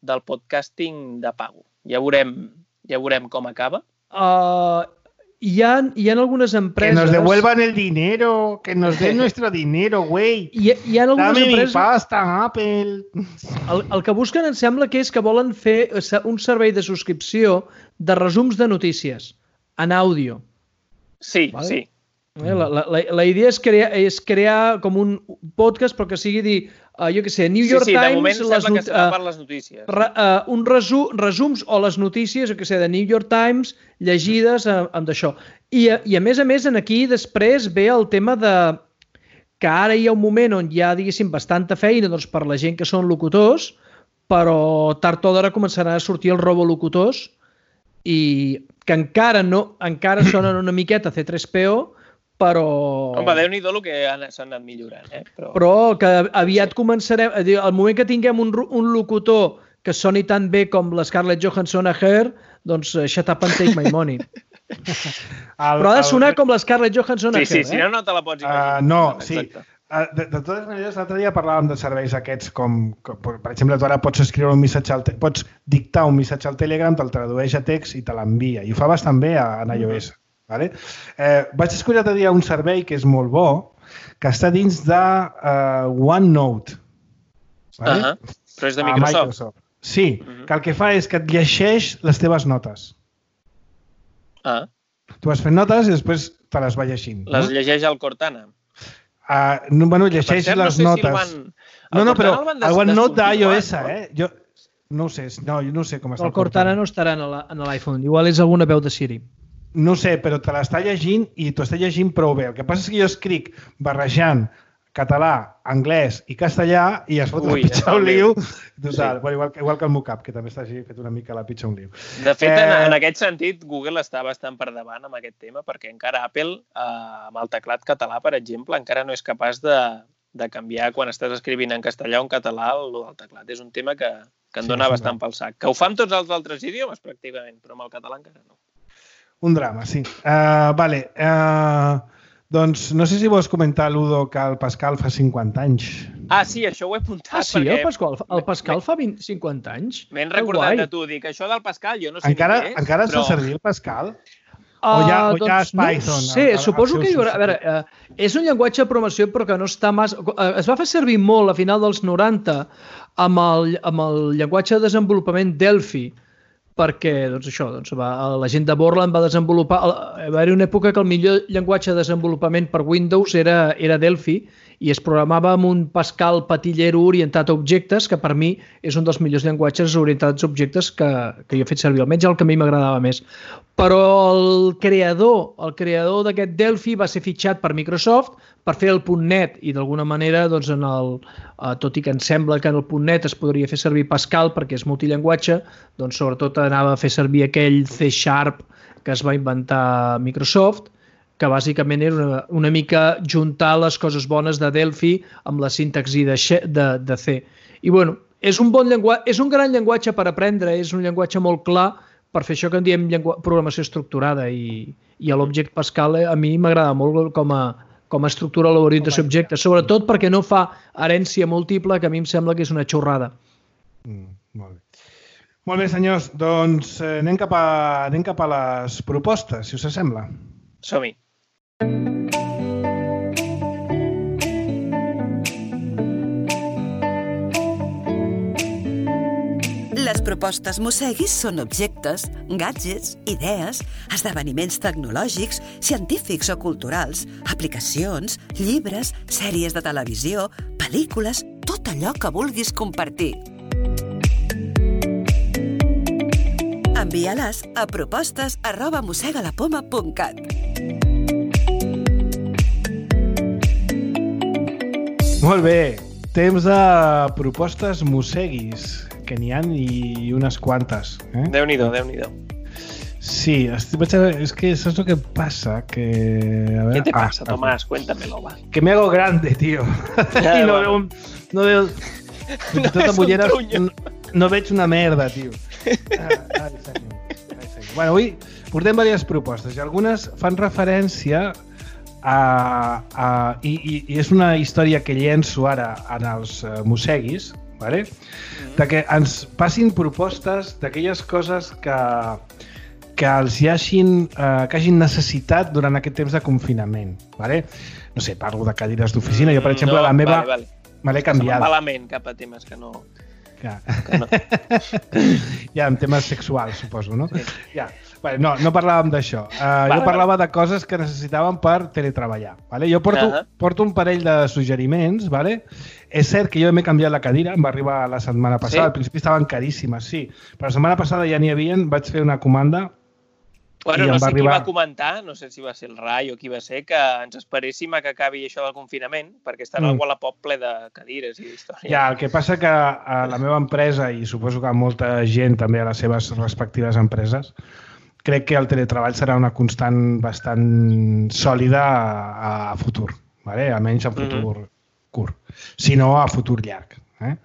del podcasting de pago. Ja veurem, ja veurem com acaba. Uh, hi, ha, hi ha algunes empreses... Que nos devuelvan el dinero, que nos den nuestro dinero, güey. Hi, hi ha algunes Dame empreses... mi pasta, Apple. El, el que busquen em sembla que és que volen fer un servei de subscripció de resums de notícies en àudio. Sí, vale? Sí. La, la, la, la idea és crear, és crear com un podcast, però que sigui dir, uh, jo què sé, New York sí, sí, Times... Sí, de moment sembla que serà uh, per les notícies. Re, uh, un resu, resums o les notícies, jo què sé, de New York Times llegides uh, amb d'això. I, I a més a més, en aquí després ve el tema de que ara hi ha un moment on hi ha, diguéssim, bastanta feina doncs, per la gent que són locutors, però tard o d'hora començaran a sortir els robolocutors i que encara no, encara sonen una miqueta C tres P O, però... Home, Déu-n'hi-do el que s'han anat millorant, eh? Però, però que aviat sí. Començarem... Al moment que tinguem un, un locutor que soni tan bé com la Scarlett Johansson a Her, doncs shut up and take my money. el, però ha de sonar el... com la Scarlett Johansson sí, a Her, sí, eh? Si no, no te la pots imaginar. Uh, no, sí. Uh, de, de totes maneres, l'altre dia parlàvem de serveis aquests com, com, per exemple, tu ara pots escriure un missatge al pots dictar un missatge al Telegram, te'l tradueix a text i te l'envia. I ho fa bastant bé a, a iOS. Vale? Eh, vaig escollir l'altre dia un servei que és molt bo, que està dins de uh, OneNote. Vale? Uh -huh. Però és de Microsoft. Microsoft. Sí, uh -huh. que el que fa és que et llegeix les teves notes. Ah. Tu vas fent notes i després te les va llegint. Les no? llegeix el Cortana. Uh, no, bueno, llegeix cert, les no sé notes. Si el van... el no, no, però el, el OneNote d'iOS, no? eh? Jo no ho sé, no, jo no sé com està el, el Cortana. El Cortana no estarà en l'iPhone, igual és alguna veu de Siri. No sé, però te l'està llegint i t'ho està llegint prou bé. El que passa és que jo escric barrejant català, anglès i castellà i es fot Ui, la pitxa un liu. Total, sí. bueno, igual, igual que el Mocap, que també està així fet una mica la pitxa un liu. De fet, eh... en, en aquest sentit, Google està bastant per davant amb aquest tema perquè encara Apple, eh, amb el teclat català, per exemple, encara no és capaç de, de canviar quan estàs escrivint en castellà o en català el del teclat. És un tema que, que en sí, dona bastant pel sac. Que ho fa amb tots els altres idiomes, pràcticament, però amb el català encara no. Un drama, sí. Uh, vale. Uh, doncs no sé si vols comentar, Ludo, que el Pascal fa cinquanta anys. Ah, sí, això ho he apuntat. Ah, sí, perquè... el Pascal, el Pascal fa vint, cinquanta anys? M'he recordat de tu, dic, això del Pascal, jo no sé encara, què és, encara es però... fa servir el Pascal? Uh, o ja, o doncs, ja és Python? No sé, el, suposo el que hi haurà... A veure, uh, és un llenguatge de programació però que no està massa... Uh, es va fer servir molt a final dels noranta amb el, amb el llenguatge de desenvolupament Delphi, perquè doncs això, doncs, va, la gent de Borland va desenvolupar... Va haver una època que el millor llenguatge de desenvolupament per Windows era, era Delphi i es programava amb un Pascal patillero orientat a objectes, que per mi és un dels millors llenguatges orientats a objectes que, que jo he fet servir, almenys el que a mi m'agradava més. Però el creador, el creador d'aquest Delphi va ser fitxat per Microsoft per fer el .NET i d'alguna manera, doncs, en el, eh, tot i que em sembla que en el .NET es podria fer servir Pascal perquè és multillenguatge, doncs sobretot anava a fer servir aquell C Sharp que es va inventar Microsoft, que bàsicament era una, una mica juntar les coses bones de Delphi amb la sintaxi de, de, de C. I bueno, és un bon llenguatge, és un gran llenguatge per aprendre, és un llenguatge molt clar per fer això que en diem programació estructurada i, i l'Object Pascal a mi m'agrada molt com a, com a estructura l'orientació a objectes, sobretot perquè no fa herència múltiple, que a mi em sembla que és una xorrada. Mm, molt bé. Molt bé, senyors, doncs eh, anem, cap a, anem cap a les propostes, si us sembla. Som-hi. Les propostes Mosseguis són objectes, gadgets, idees, esdeveniments tecnològics, científics o culturals, aplicacions, llibres, sèries de televisió, pel·lícules, tot allò que vulguis compartir. Envia-les a propostes arroba mossegalapoma punt cat. Molt bé, temps de propostes Mosseguis, que n'hi ha i unes quantes. Eh? Déu-n'hi-do, Déu-n'hi-do. Sí, és que saps el que pasa? Que... A ver... ¿Qué te ah, pasa, Tomás? Cuéntamelo, va. Que me hago grande, tío. Ja, I no bueno. veu... No veu... No tota és mullera, un trunyo. no, no veig una merda, tio. Ah, ai, senyor. Ai, senyor. Bueno, avui portem diverses propostes i algunes fan referència a... a i, i, I és una història que llenço ara en els uh, Mosseguis, vale? Mm-hmm. De que ens passin propostes d'aquelles coses que, que els hi hagin, uh, que hagin necessitat durant aquest temps de confinament. Vale? No sé, parlo de cadires d'oficina. Jo, per exemple, no, la meva... Vale, vale. Me l'he canviat. Malament cap a temes que no... Ja. Que no. Ja, en temes sexuals, suposo, no? Sí. Ja. Vale, no, no parlàvem d'això. Uh, vale, jo parlava vale. de coses que necessitaven per teletreballar. Vale? Jo porto, uh -huh. porto un parell de suggeriments. Vale? És cert que jo m'he canviat la cadira, em va arribar la setmana passada, sí? Al principi estaven caríssimes, sí. Però la setmana passada ja n'hi havia, vaig fer una comanda. Bueno, no sé arribar... qui va comentar, no sé si va ser el Rai o qui va ser, que ens esperéssim a que acabi això del confinament, perquè estarà mm. el Wallapop ple de cadires i d'històries. Ja, el que passa que a la meva empresa, i suposo que a molta gent també a les seves respectives empreses, crec que el teletreball serà una constant bastant sòlida a, a futur, vale? Almenys en futur mm-hmm. curt, si no a futur llarg. Eh?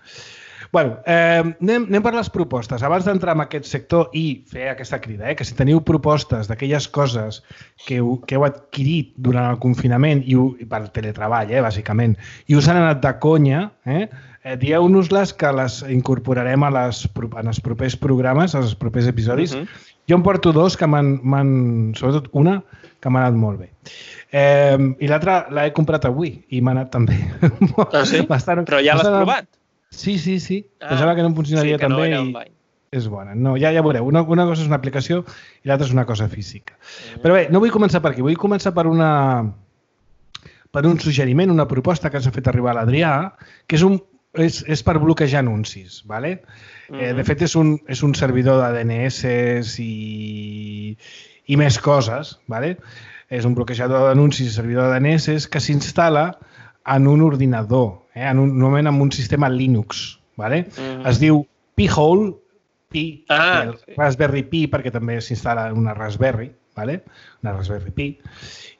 Bueno, eh, anem, anem per les propostes. Abans d'entrar en aquest sector i fer aquesta crida, eh, que si teniu propostes d'aquelles coses que heu, que heu adquirit durant el confinament i, ho, i per teletreball, eh, bàsicament, i us han anat de conya, eh, eh, dieu-nos-les que les incorporarem a les, en els propers programes, als propers episodis. Uh -huh. Jo em porto dos que m'han, sobretot una, que m'ha anat molt bé. Eh, I l'altra l'he comprat avui i m'ha anat també. Ah, sí? Bastant, Però ja l'has bastant... provat? Sí, sí, sí. Ah, pensava que no em funcionaria sí, que també no i és bona. No, ja, ja veureu, una, una cosa és una aplicació i l'altra és una cosa física. Mm. Però bé, no vull començar per aquí, vull començar per una per un suggeriment, una proposta que ens ha fet arribar l'Adrià, que és, un, és, és per bloquejar anuncis, ¿vale? Mm -hmm. eh, de fet, és un, és un servidor de D N S i, i més coses, ¿vale? És un bloquejador d'anuncis i servidor de D N S que s'instal·la en un ordinador, eh? en un, normalment en un sistema Linux. ¿Vale? Mm. Es diu Pi-hole, Pi, ah, el sí. Raspberry Pi, perquè també s'instal·la en una Raspberry, ¿vale? Una Raspberry Pi,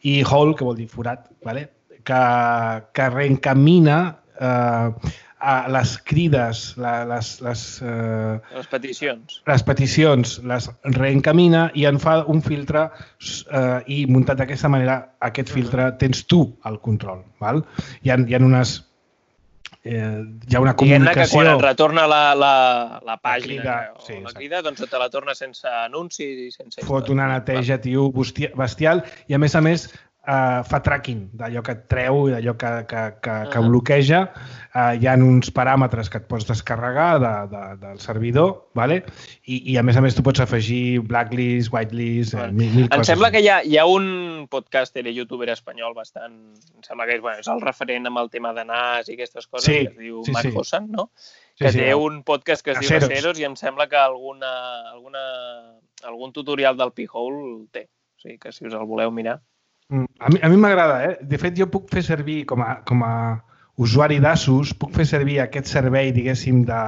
i hole, que vol dir forat, ¿vale? que, que reencamina eh, a les crides, la, les, les, eh, les peticions. Les peticions les reencamina i en fa un filtre eh, i muntat d'aquesta manera, aquest filtre uh -huh. tens tu el control. Val? Hi ha, hi ha unes... Eh, hi ha una comunicació... Que quan et retorna la, la, la pàgina la crida, o sí, la crida, doncs te la torna sense anuncis i sense... Fot una neteja, tio, bestial, i a més a més Uh, fa tracking d'allò que et treu i d'allò que, que, que, que bloqueja. Uh, hi ha uns paràmetres que et pots descarregar de, de, del servidor, ¿vale? I, i a més a més tu pots afegir blacklist, whitelist, bueno, mil, mil em coses. Em sembla que hi ha, hi ha un podcaster i youtuber espanyol bastant... Em sembla que és, bueno, és el referent amb el tema de N A S i aquestes coses, sí, que es diu sí, Marc sí. Hossan, no? Sí, que sí, té sí, un podcast que es diu Aceros i em sembla que alguna, alguna, algun tutorial del Pi-hole té. O sigui que si us el voleu mirar... A mi, a mi m'agrada, eh? De fet, jo puc fer servir, com a, com a usuari d'Asus, puc fer servir aquest servei, diguéssim, de,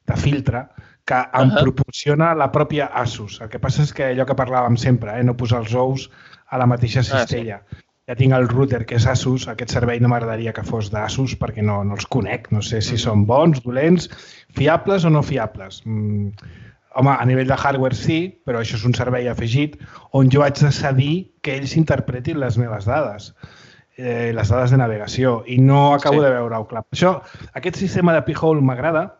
de filtre que em uh -huh. proporciona la pròpia Asus. El que passa és que allò que parlàvem sempre, eh? no posar els ous a la mateixa cistella. Ah, sí. Ja tinc el router, que és Asus. Aquest servei no m'agradaria que fos d'Asus perquè no, no els conec. No sé si uh -huh. són bons, dolents, fiables o no fiables. Mm. Home, a nivell de hardware sí, però això és un servei afegit on jo haig de cedir que ells interpretin les meves dades, eh, les dades de navegació, i no acabo sí. de veure-ho clar. Això, aquest sistema de Pi-hole m'agrada.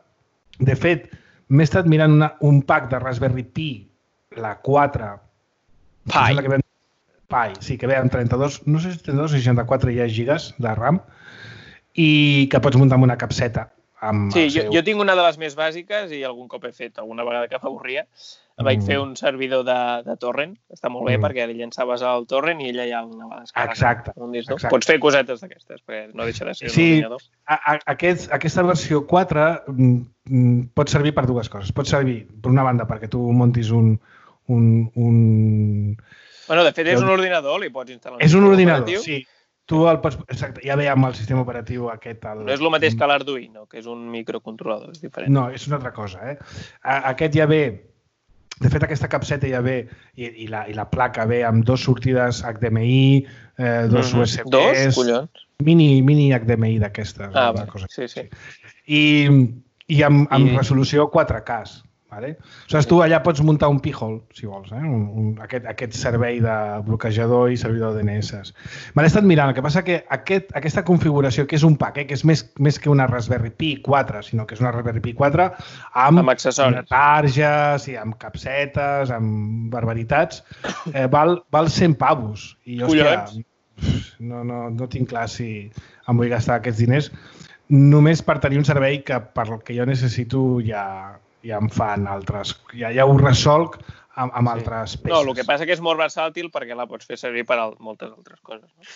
De fet, m'he estat mirant una, un pack de Raspberry Pi, la quatre. Pi. Que ve, Pi, sí, que ve amb trenta-dos, no sé si trenta-dos o seixanta-quatre ja gigas de RAM, i que pots muntar amb una capseta. Sí, jo, jo tinc una de les més bàsiques i algun cop he fet, alguna vegada que m'avorria, mm. vaig fer un servidor de, de torrent, està molt bé mm. perquè llençaves el torrent i ella ja el anava descarregant. Exacte, exacte. Pots fer cosetes d'aquestes, perquè no deixa de ser sí, un ordinador. Sí, aquest, aquesta versió quatre mm, pot servir per dues coses. Pot servir, per una banda, perquè tu montis un... un, un... Bueno, de fet, és un ordinador, li pots instal·lar un És un ordinador, operatiu. Sí. Tu el pots... Exacte, ja veiem el sistema operatiu aquest... El... No és el mateix que l'Arduino, que és un microcontrolador, és diferent. No, és una altra cosa, eh? Aquest ja ve... De fet, aquesta capseta ja ve, i, i, la, i la placa ve amb dos sortides H D M I, eh, dos mm-hmm. U S Bs... Dos? Collons? Mini, mini H D M I d'aquestes. Ah, va, cosa. sí, sí. I, i amb, amb I... resolució quatre K. Vale? Aleshores, tu allà pots muntar un Pi-hole, si vols, eh? un, un, aquest, aquest servei de bloquejador i servidor de D N S. Me l'he estat mirant, el que passa que aquest, aquesta configuració, que és un pack, eh? que és més, més que una Raspberry Pi quatre, sinó que és una Raspberry Pi quatre amb, amb accessoris, targes, i amb capsetes, amb barbaritats, eh, val, val cent pavos. I, hòstia, no, no, no tinc clar si em vull gastar aquests diners, només per tenir un servei que per el que jo necessito ja... ja em fan altres... Ja, ja ho resolc amb, amb sí. altres peces. No, el que passa que és molt versàtil perquè la pots fer servir per a moltes altres coses. No?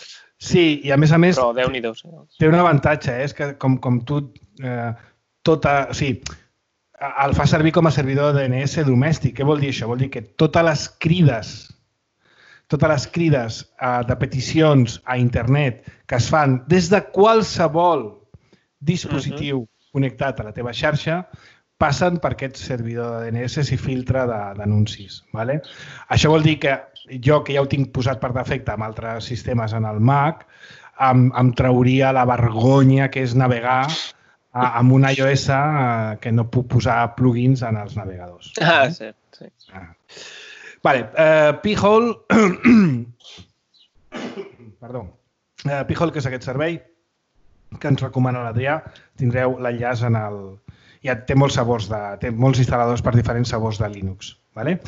Sí, i a més a més... Però Déu-n'hi-do. Sí. Té un avantatge, eh? És que com, com tu... Eh, tota, o sigui, el fa servir com a servidor de D N S domèstic. Què vol dir això? Vol dir que totes les crides, totes les crides eh, de peticions a internet que es fan des de qualsevol dispositiu uh-huh. connectat a la teva xarxa passen per aquest servidor de D N S i filtre d'anuncis. Vale? Això vol dir que jo, que ja ho tinc posat per defecte amb altres sistemes en el Mac, em, em trauria la vergonya que és navegar amb un iOS que no puc posar plugins en els navegadors. Ah, sí. sí. Ah. Vale, uh, P-Hole... Perdó. Uh, P-Hole, que és aquest servei que ens recomana l'Adrià, tindreu l'enllaç en el... Ja té molts sabors de... té molts instal·ladors per diferents sabors de Linux. Vale?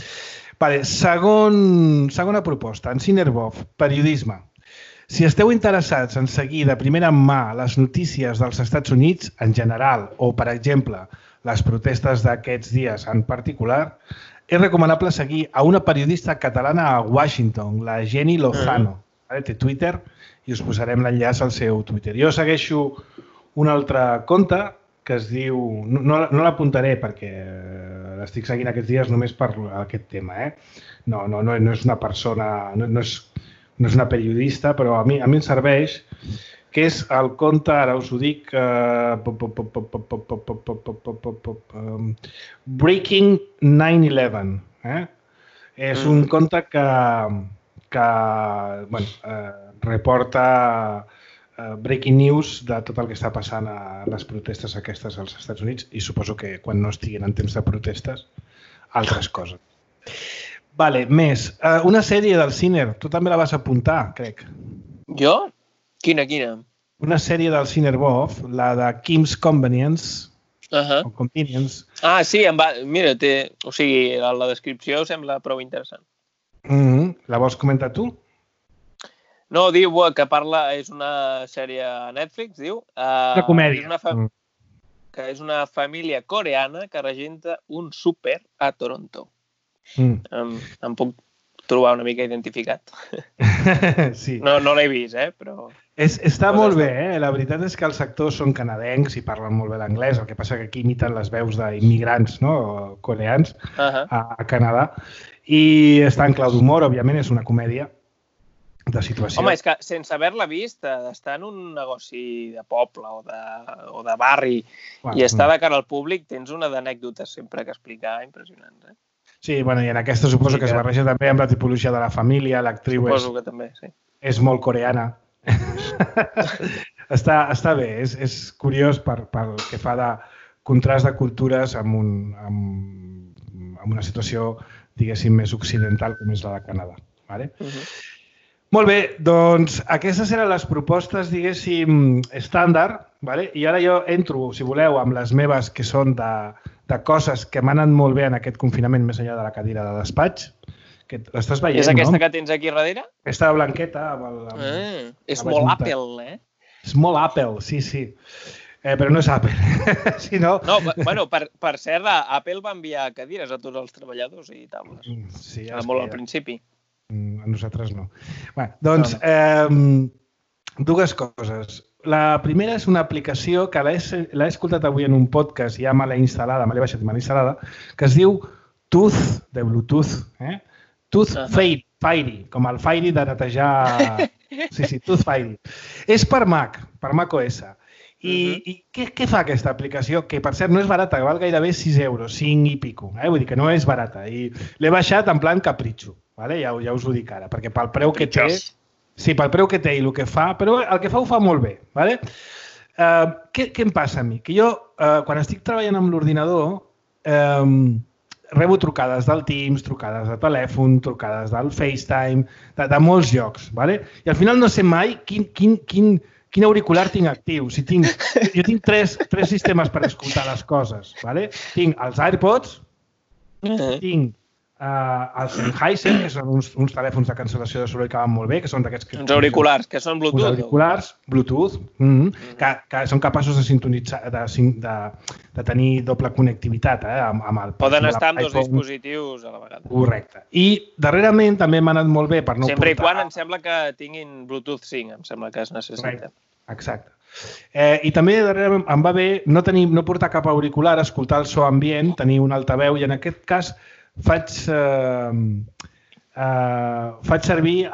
Vale, segon, segona proposta, en Cinerbov, periodisme. Si esteu interessats en seguir de primera mà les notícies dels Estats Units en general o, per exemple, les protestes d'aquests dies en particular, és recomanable seguir a una periodista catalana a Washington, la Jenny Lozano. Vale? Té Twitter i us posarem l'enllaç al seu Twitter. Jo segueixo un altre compte que es diu... No, no l'apuntaré perquè l'estic seguint aquests dies només per aquest tema. Eh? No, no, no, no és una persona... No, no, és, no és una periodista, però a mi, a mi em serveix, que és el compte, ara us ho dic, uh, Breaking nine eleven. Eh? És un compte que... que bueno, eh, reporta eh, breaking news de tot el que està passant a les protestes aquestes als Estats Units i suposo que quan no estiguin en temps de protestes, altres coses. Vale, més. Eh, una sèrie del Ciner, tu també la vas apuntar, crec. Jo? Quina, quina? Una sèrie del Cinerbov, la de Kim's Convenience. Uh -huh. O Convenience. Ah, sí, em va... mira, té... o sigui, la, la descripció sembla prou interessant. Mm-hmm. La vols comentar tu? No, diu que parla, és una sèrie a Netflix, diu. Uh, una comèdia. És una fa... mm. Que és una família coreana que regenta un súper a Toronto. Mm. Em, em puc trobar una mica identificat. Sí. No, no l'he vist, eh, però... És, està però molt bé, eh? La veritat és que els actors són canadencs i parlen molt bé l'anglès, el que passa que aquí imiten les veus d'immigrants, no?, coreans, uh -huh. a, a Canadà. I està en clau d'humor, òbviament, és una comèdia de situació. Home, és que sense haver-la vist, d'estar en un negoci de poble o de, o de barri bueno, i estar de cara al públic, tens una d'anècdotes sempre que explicar impressionants, eh? Sí, bueno, i en aquesta suposo sí, que, que es barreja també amb la tipologia de la família, l'actriu és, que també, sí. és molt coreana. està, està bé, és, és curiós per, pel que fa de contrast de cultures amb, un, amb, amb una situació, diguéssim, més occidental com és la de Canadà. Vale? Uh -huh. Molt bé, doncs aquestes eren les propostes, diguéssim, estàndard, vale? I ara jo entro, si voleu, amb les meves que són de, de coses que m'han anat molt bé en aquest confinament més enllà de la cadira de despatx. Que l'estàs veient, no? És aquesta que tens aquí darrere? Aquesta blanqueta. Amb el, amb, ah, és molt Apple, eh? És molt Apple, sí, sí. Eh, però no és Apple. si no... No, bueno, per, per cert, Apple va enviar cadires a tots els treballadors i taules. Sí, ja molt al principi. A nosaltres no. Bé, doncs, eh, dues coses. La primera és una aplicació que l'he escoltat avui en un podcast, ja me l'he instal·lada, me l'he baixat i me l'he instal·lada, que es diu Tooth, de Bluetooth, eh? Tooth uh -huh. Fairy, com el Fairy de netejar... Sí, sí, Tooth Fairy. És per Mac, per macOS. I, uh -huh. i què, què fa aquesta aplicació? Que, per cert, no és barata, que val gairebé sis euros, cinc i pico. Eh? Vull dir que no és barata. I l'he baixat en plan capritxo, vale? ja, ja us ho dic ara, perquè pel preu que té... Sí, pel preu que té i el que fa, però el que fa ho fa molt bé. Vale? Uh, què, què em passa a mi? Que jo, uh, quan estic treballant amb l'ordinador, um, rebo trucades del Teams, trucades de telèfon, trucades del FaceTime, de, de molts llocs. Vale? I al final no sé mai quin, quin, quin, quin auricular tinc actiu. Si tinc, jo tinc tres, tres sistemes per escoltar les coses. Vale? Tinc els AirPods, uh-huh. tinc Uh, els Sennheiser, que són uns, uns telèfons de cancel·lació de soroll que van molt bé, que són d'aquests... Uns auriculars, que són Bluetooth. Uns auriculars, Bluetooth, mm -hmm, mm. que, que són capaços de sintonitzar, de, de, de tenir doble connectivitat, eh, amb, amb el... Poden estar amb dos dispositius a la vegada. Correcte. I darrerament també m'ha anat molt bé per no Sempre portar... i quan em sembla que tinguin Bluetooth cinc, em sembla que es necessita. Correcte. Exacte. Eh, I també darrerament em va bé no, tenir, no portar cap auricular, escoltar el so ambient, tenir un altaveu, i en aquest cas faig, eh, eh, faig servir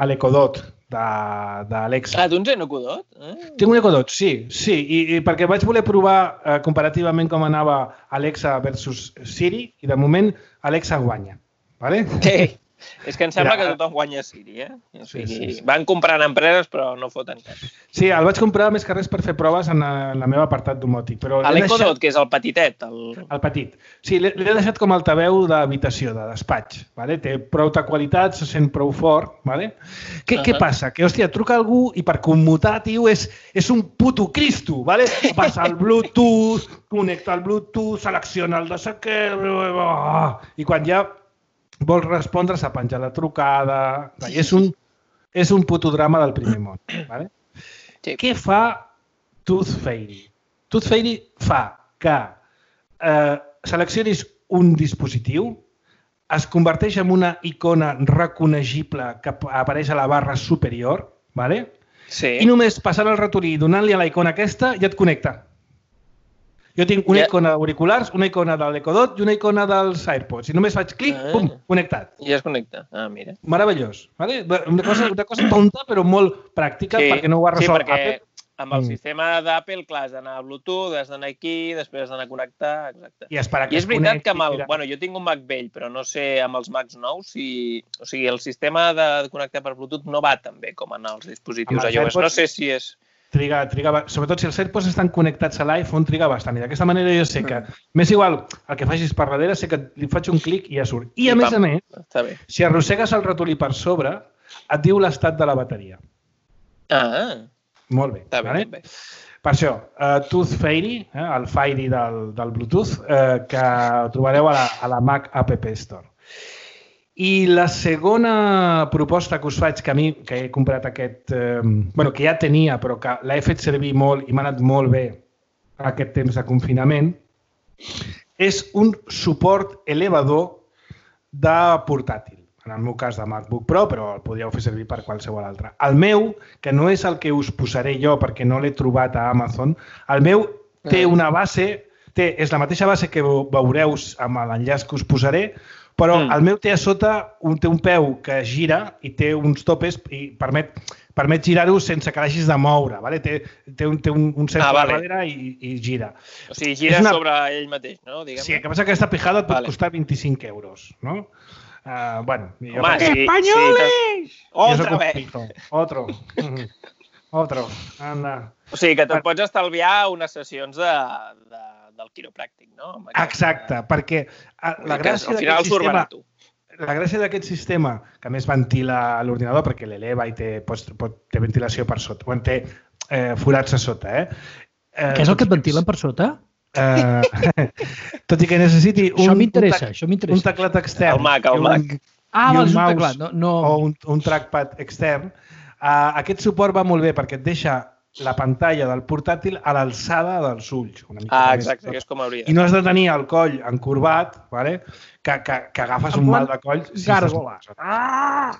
l'Echo Dot d'Alexa. Ah, tu tens un Echo Dot? Eh? Tinc un Echo Dot, sí. sí i, i perquè vaig voler provar eh, comparativament com anava Alexa versus Siri, i de moment Alexa guanya. Vale? Sí. És que em sembla que tothom guanya Siri, eh? O sigui, sí, sí, sí. Van comprant empreses, però no foten cap. Sí, el vaig comprar més que res per fer proves en, en la meva apartat domòtic. L'Echo Dot, deixat... que és el petitet? El, el petit. Sí, l'he deixat com altaveu d'habitació, de despatx. Vale? Té prou de qualitat, se sent prou fort. Vale? Què, uh -huh. què passa? Que, hòstia, truca algú i per commutar, tio, és, és un puto Cristo. Vale? Passa el Bluetooth, connecta el Bluetooth, selecciona el de saquer... I quan ja vols respondre, s'ha penjat la trucada... És un, és un puto drama del primer món. Vale? Sí. Què fa Tooth Fairy? Tooth Fairy fa que eh, seleccionis un dispositiu, es converteix en una icona reconeixible que apareix a la barra superior, vale? Sí. I només passant el ratolí i donant-li a la icona aquesta ja et connecta. Jo tinc una yeah. icona d'auriculars, una icona de l'Echo Dot i una icona dels AirPods. I només faig clic, ah. pum, connectat. I ja es connecta. Ah, mira. Meravellós. Vale? Una, cosa, una cosa tonta, però molt pràctica, sí. perquè no ho ha resolt sí, perquè Apple. Amb el mm. sistema d'Apple, clar, has d'anar a Bluetooth, has d'anar aquí, després has d'anar a connectar, exacte. I, I és veritat que amb el... Bueno, jo tinc un Mac vell, però no sé amb els Macs nous si... O sigui, el sistema de connectar per Bluetooth no va tan bé com en els dispositius iOS. No sé si és... Triga, triga, sobretot si els AirPods estan connectats a l'iPhone, triga bastant. I d'aquesta manera jo sé que, m'és igual el que facis per darrere, sé que li faig un clic i ja surt. I a I més pam, a més, si arrossegues el ratolí per sobre, et diu l'estat de la bateria. Ah, molt bé. Està bé, vale? bé. Per això, uh, Tooth Fairy, eh, el Fairy del, del Bluetooth, eh, que trobareu a la, a la Mac App Store. I la segona proposta que us faig, que a mi, que he comprat aquest... Eh, bueno, que ja tenia, però que l'he fet servir molt i m'ha anat molt bé aquest temps de confinament, és un suport elevador de portàtil. En el meu cas de MacBook Pro, però el podríeu fer servir per qualsevol altre. El meu, que no és el que us posaré jo perquè no l'he trobat a Amazon, el meu té una base, té, és la mateixa base que veureu amb l'enllaç que us posaré, però mm. el meu té a sota un, té un peu que gira i té uns topes i permet, permet girar-ho sense que l'hagis de moure. Vale? Té, té un, té un, un centre ah, vale. darrere i, i gira. O sigui, gira una... sobre ell mateix, no? Diguem-ne. Sí, el que passa que aquesta pijada et pot vale. costar vint-i-cinc euros, no? Uh, bueno, jo Home, sí, ¡Españoles! Sí, Otra vez! Otro. Otro. Anda. O sigui, que te'n pots estalviar unes sessions de, de, del quiropràctic, no? Exacte, perquè la gràcia d'aquest sistema... La gràcia d'aquest sistema, que a més ventila l'ordinador perquè l'eleva i té, pot, pot, té ventilació per sota, o té eh, forats a sota, eh? eh Què és el que et ventilen per sota? Uh, tot i que necessiti un, això m'interessa, un, això m'interessa. un teclat extern el Mac, el Mac. Un, ah, i un un mouse teclat, no, no... o un, un trackpad extern, uh, aquest suport va molt bé perquè et deixa la pantalla del portàtil a l'alçada dels ulls. Una mica ah, exacte, que és com hauria. I no has de tenir el coll encorbat, vale? que, que, que agafes un mal de coll. Gàrgola. Si ah!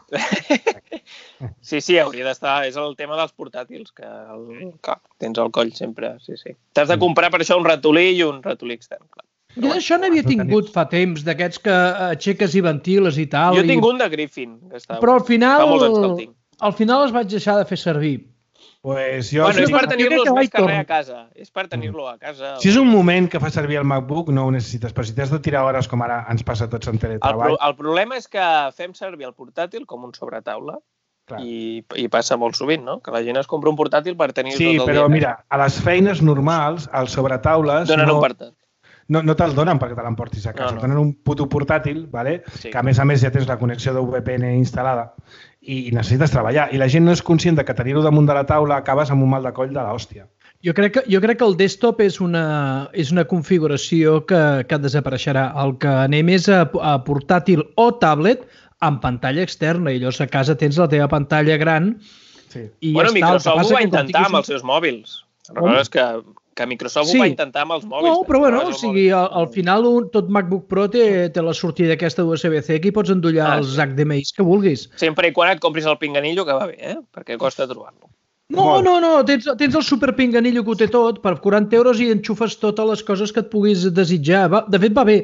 Sí, sí, hauria d'estar. És el tema dels portàtils, que, el, que tens el coll sempre. Sí, sí. T'has de comprar per això un ratolí i un ratolí extern, clar. Jo d'això n'havia tingut fa temps, d'aquests que aixeques i ventiles i tal. Jo tinc un de Griffin. Que està... Però al final, al final els vaig deixar de fer servir. Pues jo... Bueno, és per tenir-los més que res a casa. És per tenir-lo a casa. Si és un moment que fa servir el MacBook, no ho necessites. Però si t'has de tirar hores, com ara ens passa a tots en teletreball... El, pro el problema és que fem servir el portàtil com un sobretaula i, i passa molt sovint, no? Que la gent es compra un portàtil per tenir sí, tot el dia. Sí, però mira, a les feines normals, als sobretaules... Donen no... un portàtil. No, no te'l donen perquè te l'emportis a casa. No, no. Tenen un puto portàtil, vale? Sí. Que a més a més ja tens la connexió de V P N instal·lada i necessites treballar. I la gent no és conscient de que tenir-ho damunt de la taula acabes amb un mal de coll de l'hòstia. Jo crec que, jo crec que el desktop és una, és una configuració que, que desapareixerà. El que anem és a, a portàtil o tablet amb pantalla externa. I llavors a casa tens la teva pantalla gran. Sí. I bueno, ja Microsoft ho va intentar amb els seus mòbils. Recordes que... que Microsoft sí. ho va intentar amb els mòbils. No, però bueno, o sigui, al, al final un, tot MacBook Pro té, té la sortida aquesta U S B C que hi pots endollar ah, els sí. H D M Is que vulguis. Sempre i quan et compris el pinganillo, que va bé, eh? Perquè costa trobar-lo. No, Molt. no, no, tens, tens el super pinganillo que ho té tot, per quaranta euros i enxufes totes les coses que et puguis desitjar. Va, de fet, va bé,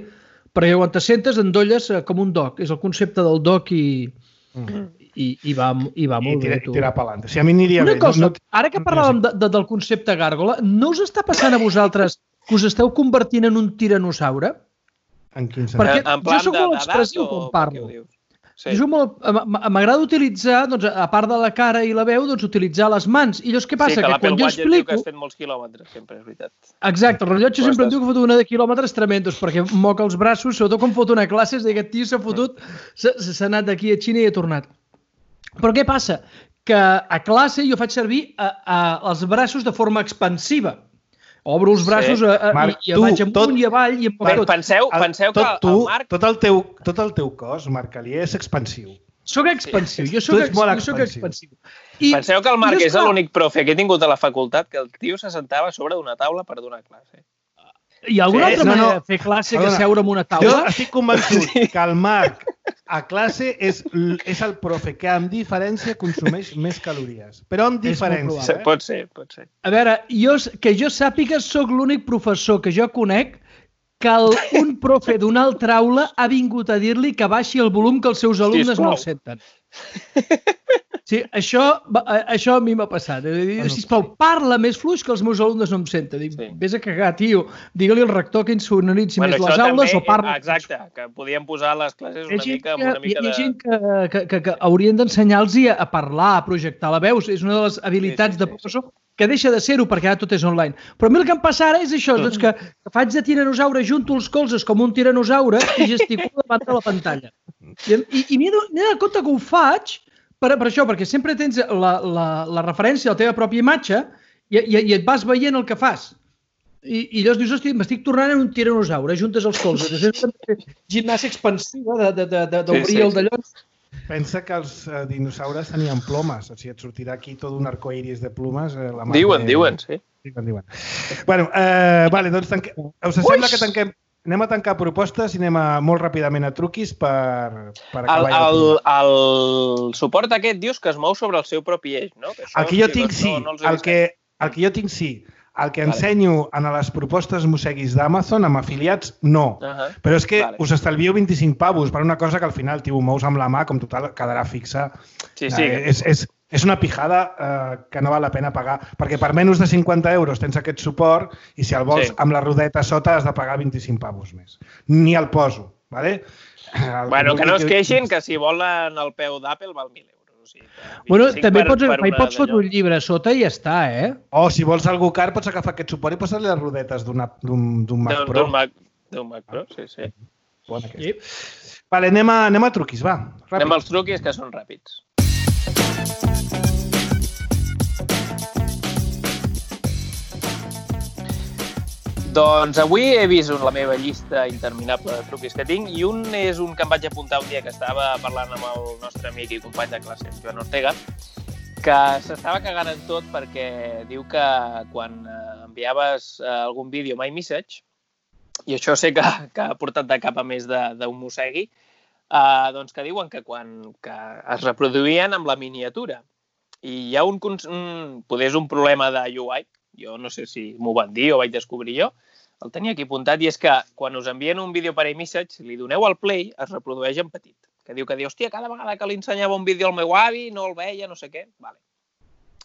perquè quan te sentes endolles com un dock. És el concepte del dock i... Mm. I, i, va, i va molt I tira, bé, tu. I tirar pelant. Si a mi aniria Una bé... cosa, no, no, ara que parlàvem de, de, del concepte gàrgola, no us està passant a vosaltres que us esteu convertint en un tiranosaure? En quin sentit? Perquè en plan jo sóc molt expressiu quan parlo. Sí. M'agrada utilitzar, doncs, a part de la cara i la veu, doncs, utilitzar les mans. I llavors què passa? Sí, que, que l'Apple quan jo Watch explico... diu que has fet molts quilòmetres, sempre, és veritat. Exacte, el rellotge Però sempre estàs... em diu que he fotut una de quilòmetres tremendos, perquè moca els braços, sobretot quan fot una classe, és dir, aquest tio s'ha fotut, s'ha anat d'aquí a Xina i ha tornat. Però què passa? Que a classe jo faig servir a, a, els braços de forma expansiva. Obro els braços sí. a, a, Marc, i, i tu, vaig amunt tot, i avall i em moc tot. Penseu, penseu el, que tu, el Marc... Tot el, teu, tot el teu cos, Marc Alier, és expansiu. Soc expansiu, jo soc, ex, jo soc expansiu. I penseu que el Marc és l'únic profe que he tingut a la facultat que el tio se sentava sobre d'una taula per donar classe. Hi ha alguna sí, altra no, manera no. de fer classe que seure en una taula? Jo estic convençut sí. que el Marc a classe és, és el profe que amb diferència consumeix més calories. Però amb diferència. Eh? Pot ser, pot ser. A veure, jo, que jo sàpiga, sóc l'únic professor que jo conec que el, un profe d'una altra aula ha vingut a dir-li que baixi el volum que els seus alumnes Sisplau. no el senten. Sí, això, això a mi m'ha passat. Bueno, sisplau, parla més fluix que els meus alumnes no em senten. Dic, sí. Vés a cagar, tio. Digue-li al rector que insonoritzi bueno, més les aules també, o parla... Exacte, que podíem posar les classes una mica amb una mica de... Hi ha gent que, que, que, que haurien d'ensenyar-los a parlar, a projectar la veu. És una de les habilitats sí, sí, de professor sí, sí. que deixa de ser-ho perquè ara tot és online. Però a mi el que em passa ara és això, doncs que, que faig de tiranosaure, junto els colzes com un tiranosaure i gesticulo davant de la pantalla. I, i, i m'he donat compte que ho faig per, per això, perquè sempre tens la, la, la referència a la teva pròpia imatge i, i, i et vas veient el que fas. I, i llavors dius, hosti, m'estic tornant en un tiranosaure, juntes els colzes. És gimnàsia expansiva d'obrir de, de, de, sí, sí, el d'allò. Pensa que els eh, dinosaures tenien plomes. O sigui, et sortirà aquí tot un arcoiris de plomes. Eh, la diuen, de... diuen, sí. Diuen, diuen. Bueno, eh, vale, doncs tanque... us sembla que tanquem... Anem a tancar propostes i anem a, molt ràpidament a truquis per, per acabar. El, el, el suport aquest dius que es mou sobre el seu propi eix, no? Que el que jo tinc sí, no, no el, que, el que jo tinc sí. El que vale. ensenyo en les propostes Mosseguis d'Amazon, amb afiliats, no. Uh -huh. Però és que vale. us estalvieu vint-i-cinc pavos per una cosa que al final, tio, ho mous amb la mà, com total quedarà fixa. Sí, sí. Eh, és, és, és una pijada eh, que no val la pena pagar, perquè per menys de cinquanta euros tens aquest suport i si el vols sí. amb la rodeta sota has de pagar vint-i-cinc pavos més. Ni el poso, ¿vale? El bueno, que, que no es queixin, que si volen el peu d'Apple val mil euros. O sigui, bueno, també per, pots, per hi pots fotre un llibre a sota i ja està, eh? O si vols algú car, pots agafar aquest suport i posar-li les rodetes d'un Mac Pro. D'un Mac, Mac Pro, sí, sí. Bon aquest. Sí. Vale, anem a, anem a truquis, va. Ràpid. Anem als truquis, que són ràpids. Doncs avui he vist la meva llista interminable de truquis que tinc i un és un que em vaig apuntar un dia que estava parlant amb el nostre amic i company de classe, Joan Ortega, que s'estava cagant en tot perquè diu que quan enviaves algun vídeo My Message, i això sé que, que ha portat de cap a més d'un mossegui, eh, doncs que diuen que quan que es reproduïen amb la miniatura. I hi ha un, un, poder és un problema de U I, jo no sé si m'ho van dir o vaig descobrir jo, el tenia aquí apuntat, i és que quan us envien un vídeo per iMessage, li doneu al play, es reprodueix en petit. Que diu que diu, hòstia, cada vegada que li ensenyava un vídeo al meu avi, no el veia, no sé què. Vale.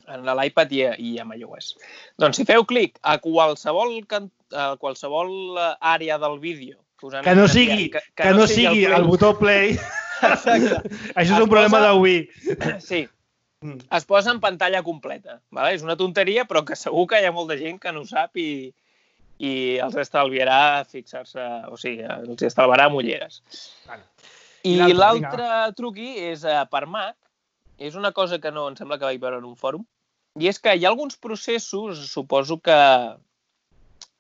En l'iPad i, i amb iOS. Doncs si feu clic a qualsevol, a qualsevol àrea del vídeo... Que, us que no sigui, que, que, que no sigui el, el botó play. Exacte. Això és es un problema posa... de Wii. Sí. Es posa en pantalla completa. Vale? És una tonteria, però que segur que hi ha molta gent que no ho sap i, i els estalviarà fixar-se, o sigui, els estalvarà mulleres. Vale. I l'altre truqui és uh, per Mac. És una cosa que no em sembla que vaig veure en un fòrum. I és que hi ha alguns processos, suposo que,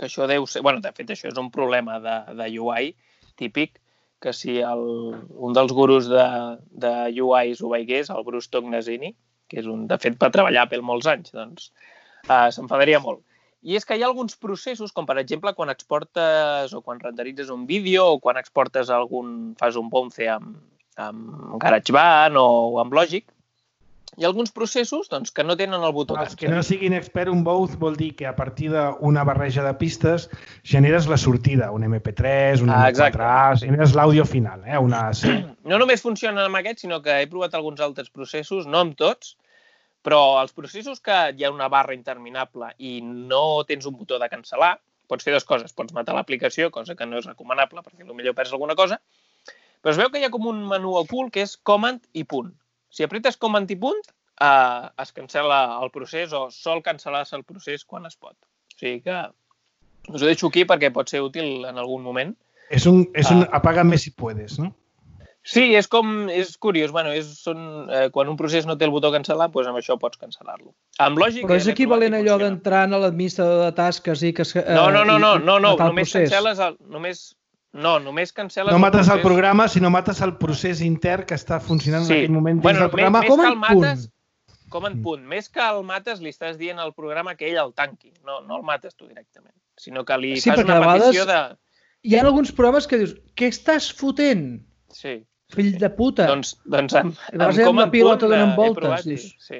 que això deu ser... Bueno, de fet, això és un problema de, de U I típic, que si el, un dels gurus de, de U Is ho veigués, el Bruce Tognazini, que és un, de fet, va treballar a Apple molts anys, doncs uh, s'enfadaria molt. I és que hi ha alguns processos, com per exemple quan exportes o quan renderitzes un vídeo o quan exportes algun, fas un bounce amb, amb GarageBand o amb Logic, hi ha alguns processos doncs, que no tenen el botó Els que no siguin expert, un bounce vol dir que a partir d'una barreja de pistes generes la sortida, un eme pe tres, un ah, eme quatre a, generes l'àudio final, eh? Una A C. No només funcionen amb aquest, sinó que he provat alguns altres processos, no amb tots, però els processos que hi ha una barra interminable i no tens un botó de cancel·lar, pots fer dues coses. Pots matar l'aplicació, cosa que no és recomanable perquè potser perds alguna cosa, Però es veu que hi ha com un menú ocult que és command i punt. Si apretes command i punt, eh, es cancel·la el procés o sol cancel·lar-se el procés quan es pot. O sigui que us ho deixo aquí perquè pot ser útil en algun moment. És un, és un uh, apaga més si puedes, no? Sí, és com, és curiós. Bueno, és, són, eh, quan un procés no té el botó cancel·lar, doncs amb això pots cancel·lar-lo. Amb lògica... Però és equivalent allò d'entrar a l'administrador de tasques i que... Eh, no, no, no, no, no, no, només cancel·les el... Només, no, només cancel·les no mates el, el programa, sinó mates el procés intern que està funcionant sí. en aquell moment dins bueno, del programa. Més, com més en punt. Mates, com en punt. Més que el mates, li estàs dient al programa que ell el tanqui. No, no el mates tu directament, sinó que li sí, fas una petició de... Hi ha alguns programes que dius, què estàs fotent? Sí. Fill de puta. Doncs, doncs amb, amb com en pilota donant voltes. Provat, sí.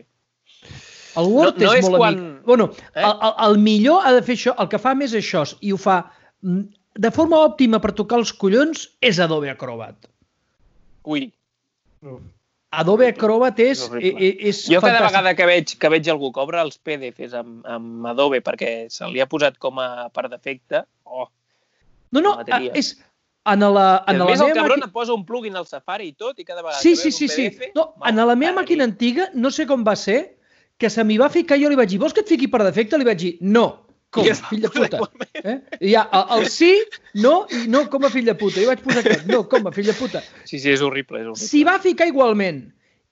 El Word no, no és, és molt quan... amic. Bueno, eh? el, el, el millor ha de fer això, el que fa més això, i ho fa de forma òptima per tocar els collons, és Adobe Acrobat. Ui. Adobe Acrobat és, és, és jo cada fantàstic. Vegada que veig, que veig algú que obre els P D Fs amb, amb Adobe perquè se li ha posat com a per defecte, oh, no, no, és... En la, en a la més, el cabron maqui... et posa un plugin al Safari i tot, i cada vegada sí, que sí, veus sí, un P D F... Sí. No, en la meva màquina antiga, no sé com va ser, que se m'hi va ficar, jo li vaig dir, vols que et fiqui per defecte? Li vaig dir, no, com, fill de puta. Eh? I ja, el, el sí, no, i no com a fill de puta. I vaig posar aquest, no, com a fill de puta. Sí, sí, és horrible, és horrible. S'hi va ficar igualment.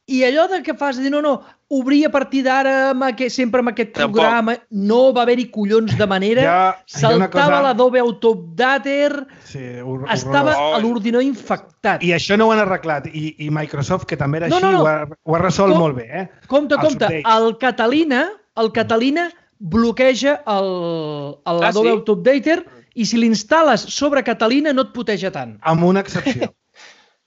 I allò de que fas, dir, no, no, obrir a partir d'ara sempre amb aquest Tampoc. programa, no va haver-hi collons de manera, ja, saltava cosa... l'Adobe Autodater, sí, estava oh. a l'ordinador infectat. I això no ho han arreglat, i, i Microsoft, que també era no, així, no, no. Ho, ha, ho ha resolt Com, molt bé. Eh? Compte, compte, updates. el Catalina, el Catalina bloqueja l'Adobe ah, sí? Autodater i si l'instal·les sobre Catalina no et puteja tant. Amb una excepció.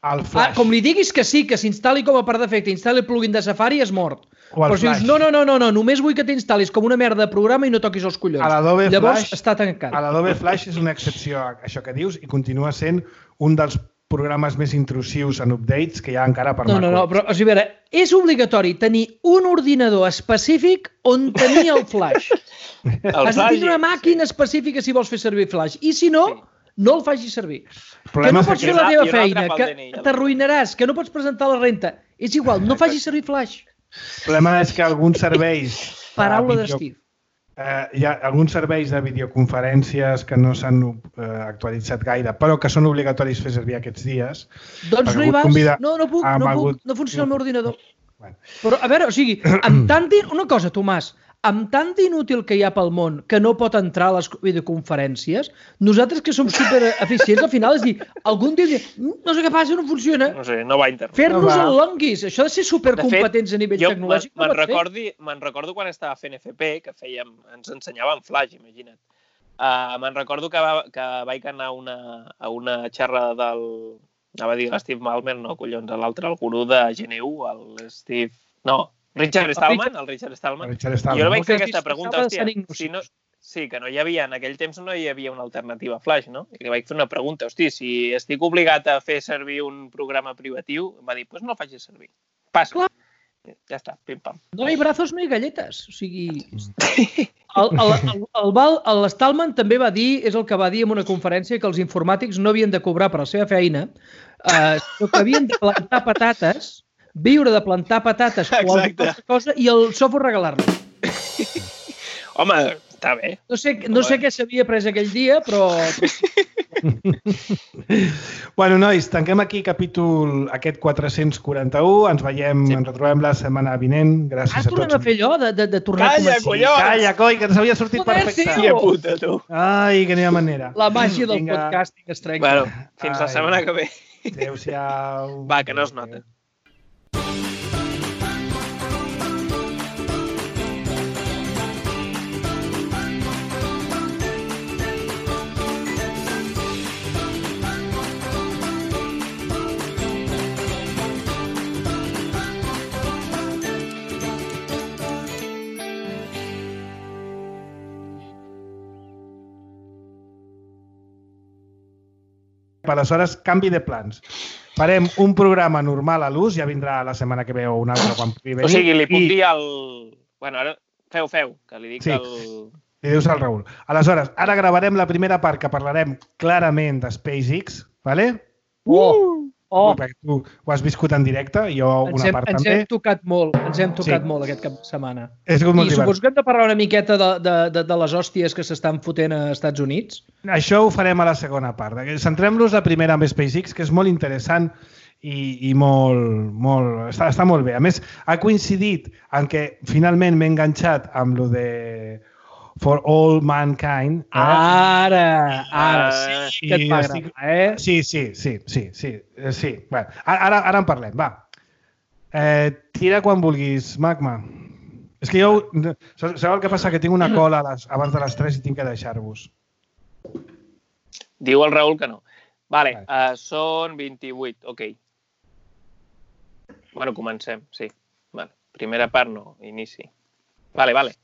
El Flash. Ah, com li diguis que sí, que s'instal·li com a per defecte, instal·li el plugin de Safari, és mort. Però si dius, no, no, no, no, no, només vull que t'instal·lis com una merda de programa i no toquis els collons. Llavors Flash, està tancat. A l'Adobe Flash és una excepció a això que dius i continua sent un dels programes més intrusius en updates que hi ha encara per no, macOS. No, no, però o sigui, a veure, és obligatori tenir un ordinador específic on tenir el Flash. el Has de tenir una màquina sí. específica si vols fer servir Flash. I si no... Sí. no el facis servir. Que no pots fer la teva feina, que t'arruïnaràs, que no pots presentar la renta. És igual, no facis servir Flash. El problema és que alguns serveis... Paraula video, d'Steve. Eh, hi ha alguns serveis de videoconferències que no s'han eh, actualitzat gaire, però que són obligatoris fer servir aquests dies. Doncs no hi vas. No, no puc, no puc, no funciona el meu ordinador. Bueno. Però, a veure, o sigui, amb tant... Una cosa, Tomàs, amb tant d'inútil que hi ha pel món que no pot entrar a les videoconferències, nosaltres que som supereficients, al final és dir, algun dia no sé què passa, no funciona. No sé, no va internet. Fer-nos no el longuis, això de ser supercompetents a nivell tecnològic. Me'n recordi, me'n recordo quan estava fent F P, que fèiem, ens ensenyàvem Flash, imagina't. Uh, me'n recordo que, va, que vaig anar a una, a una xerrada del... Anava a dir l'Steve Ballmer, no, collons, l'altre, el gurú de G N U, el Steve... No, Richard Stallman, el Richard Stallman. Richard Stallman. I jo li vaig fer aquesta pregunta, hòstia, si no, sí, que no hi havia, en aquell temps no hi havia una alternativa a Flash, no? I li vaig fer una pregunta, hòstia, si estic obligat a fer servir un programa privatiu, em va dir, doncs pues no el facis servir. Passa. Clar. Ja està, pim-pam. No hi ha brazos, no hi ha galletes. O sigui... El, el, el, el, el Stallman també va dir, és el que va dir en una conferència, que els informàtics no havien de cobrar per la seva feina, eh, sinó que havien de plantar patates, viure de plantar patates o alguna cosa i el software regalar-lo. Home, està bé. No sé, no sé què s'havia pres aquell dia, però... Bueno, nois, tanquem aquí capítol aquest quatre-cents quaranta-u. Ens veiem, sí. ens retrobem la setmana vinent. Gràcies ah, a tots. Ah, tornem a fer allò de, de, de tornar Calla, a començar. Collons! Calla, coi, que ens havia sortit Joder, perfecte. Hòstia puta, tu. Ai, que n'hi ha manera. La màgia del Vinga. Podcasting es trenca. Bueno, fins Ai. la setmana que ve. Adéu-siau. Va, que no es nota. Aleshores, canvi de plans. Farem un programa normal a l'ús, ja vindrà la setmana que ve o un altre quan pugui venir. O sigui, li puc I... dir al... Bueno, ara feu, feu, que li dic sí. al... Li dius al Raül. Aleshores, ara gravarem la primera part que parlarem clarament de SpaceX, ¿vale? Uh! Oh. Perquè tu ho has viscut en directe, jo una hem, part ens també. Ens hem tocat molt, ens hem tocat sí. molt aquest cap de setmana. És molt I suposo que hem de parlar una miqueta de, de, de, de les hòsties que s'estan fotent a Estats Units. Això ho farem a la segona part. Centrem-nos la primera amb SpaceX, que és molt interessant i, i molt, molt, està, està molt bé. A més, ha coincidit en què finalment m'he enganxat amb lo de For All Mankind. Eh? Ara, ara, sí que et va agradar, estic... eh? Sí, sí, sí, sí, sí, sí. Bueno, ara, ara en parlem, va. Eh, tira quan vulguis, Magma. És que jo, sabeu el que passa? Que tinc una cola a les, abans de les tres i tinc que deixar-vos. Diu el Raül que no. Vale, uh, són vint-i-vuit, ok. Bueno, comencem, sí. Vale. Primera part no, inici. Vale, vale.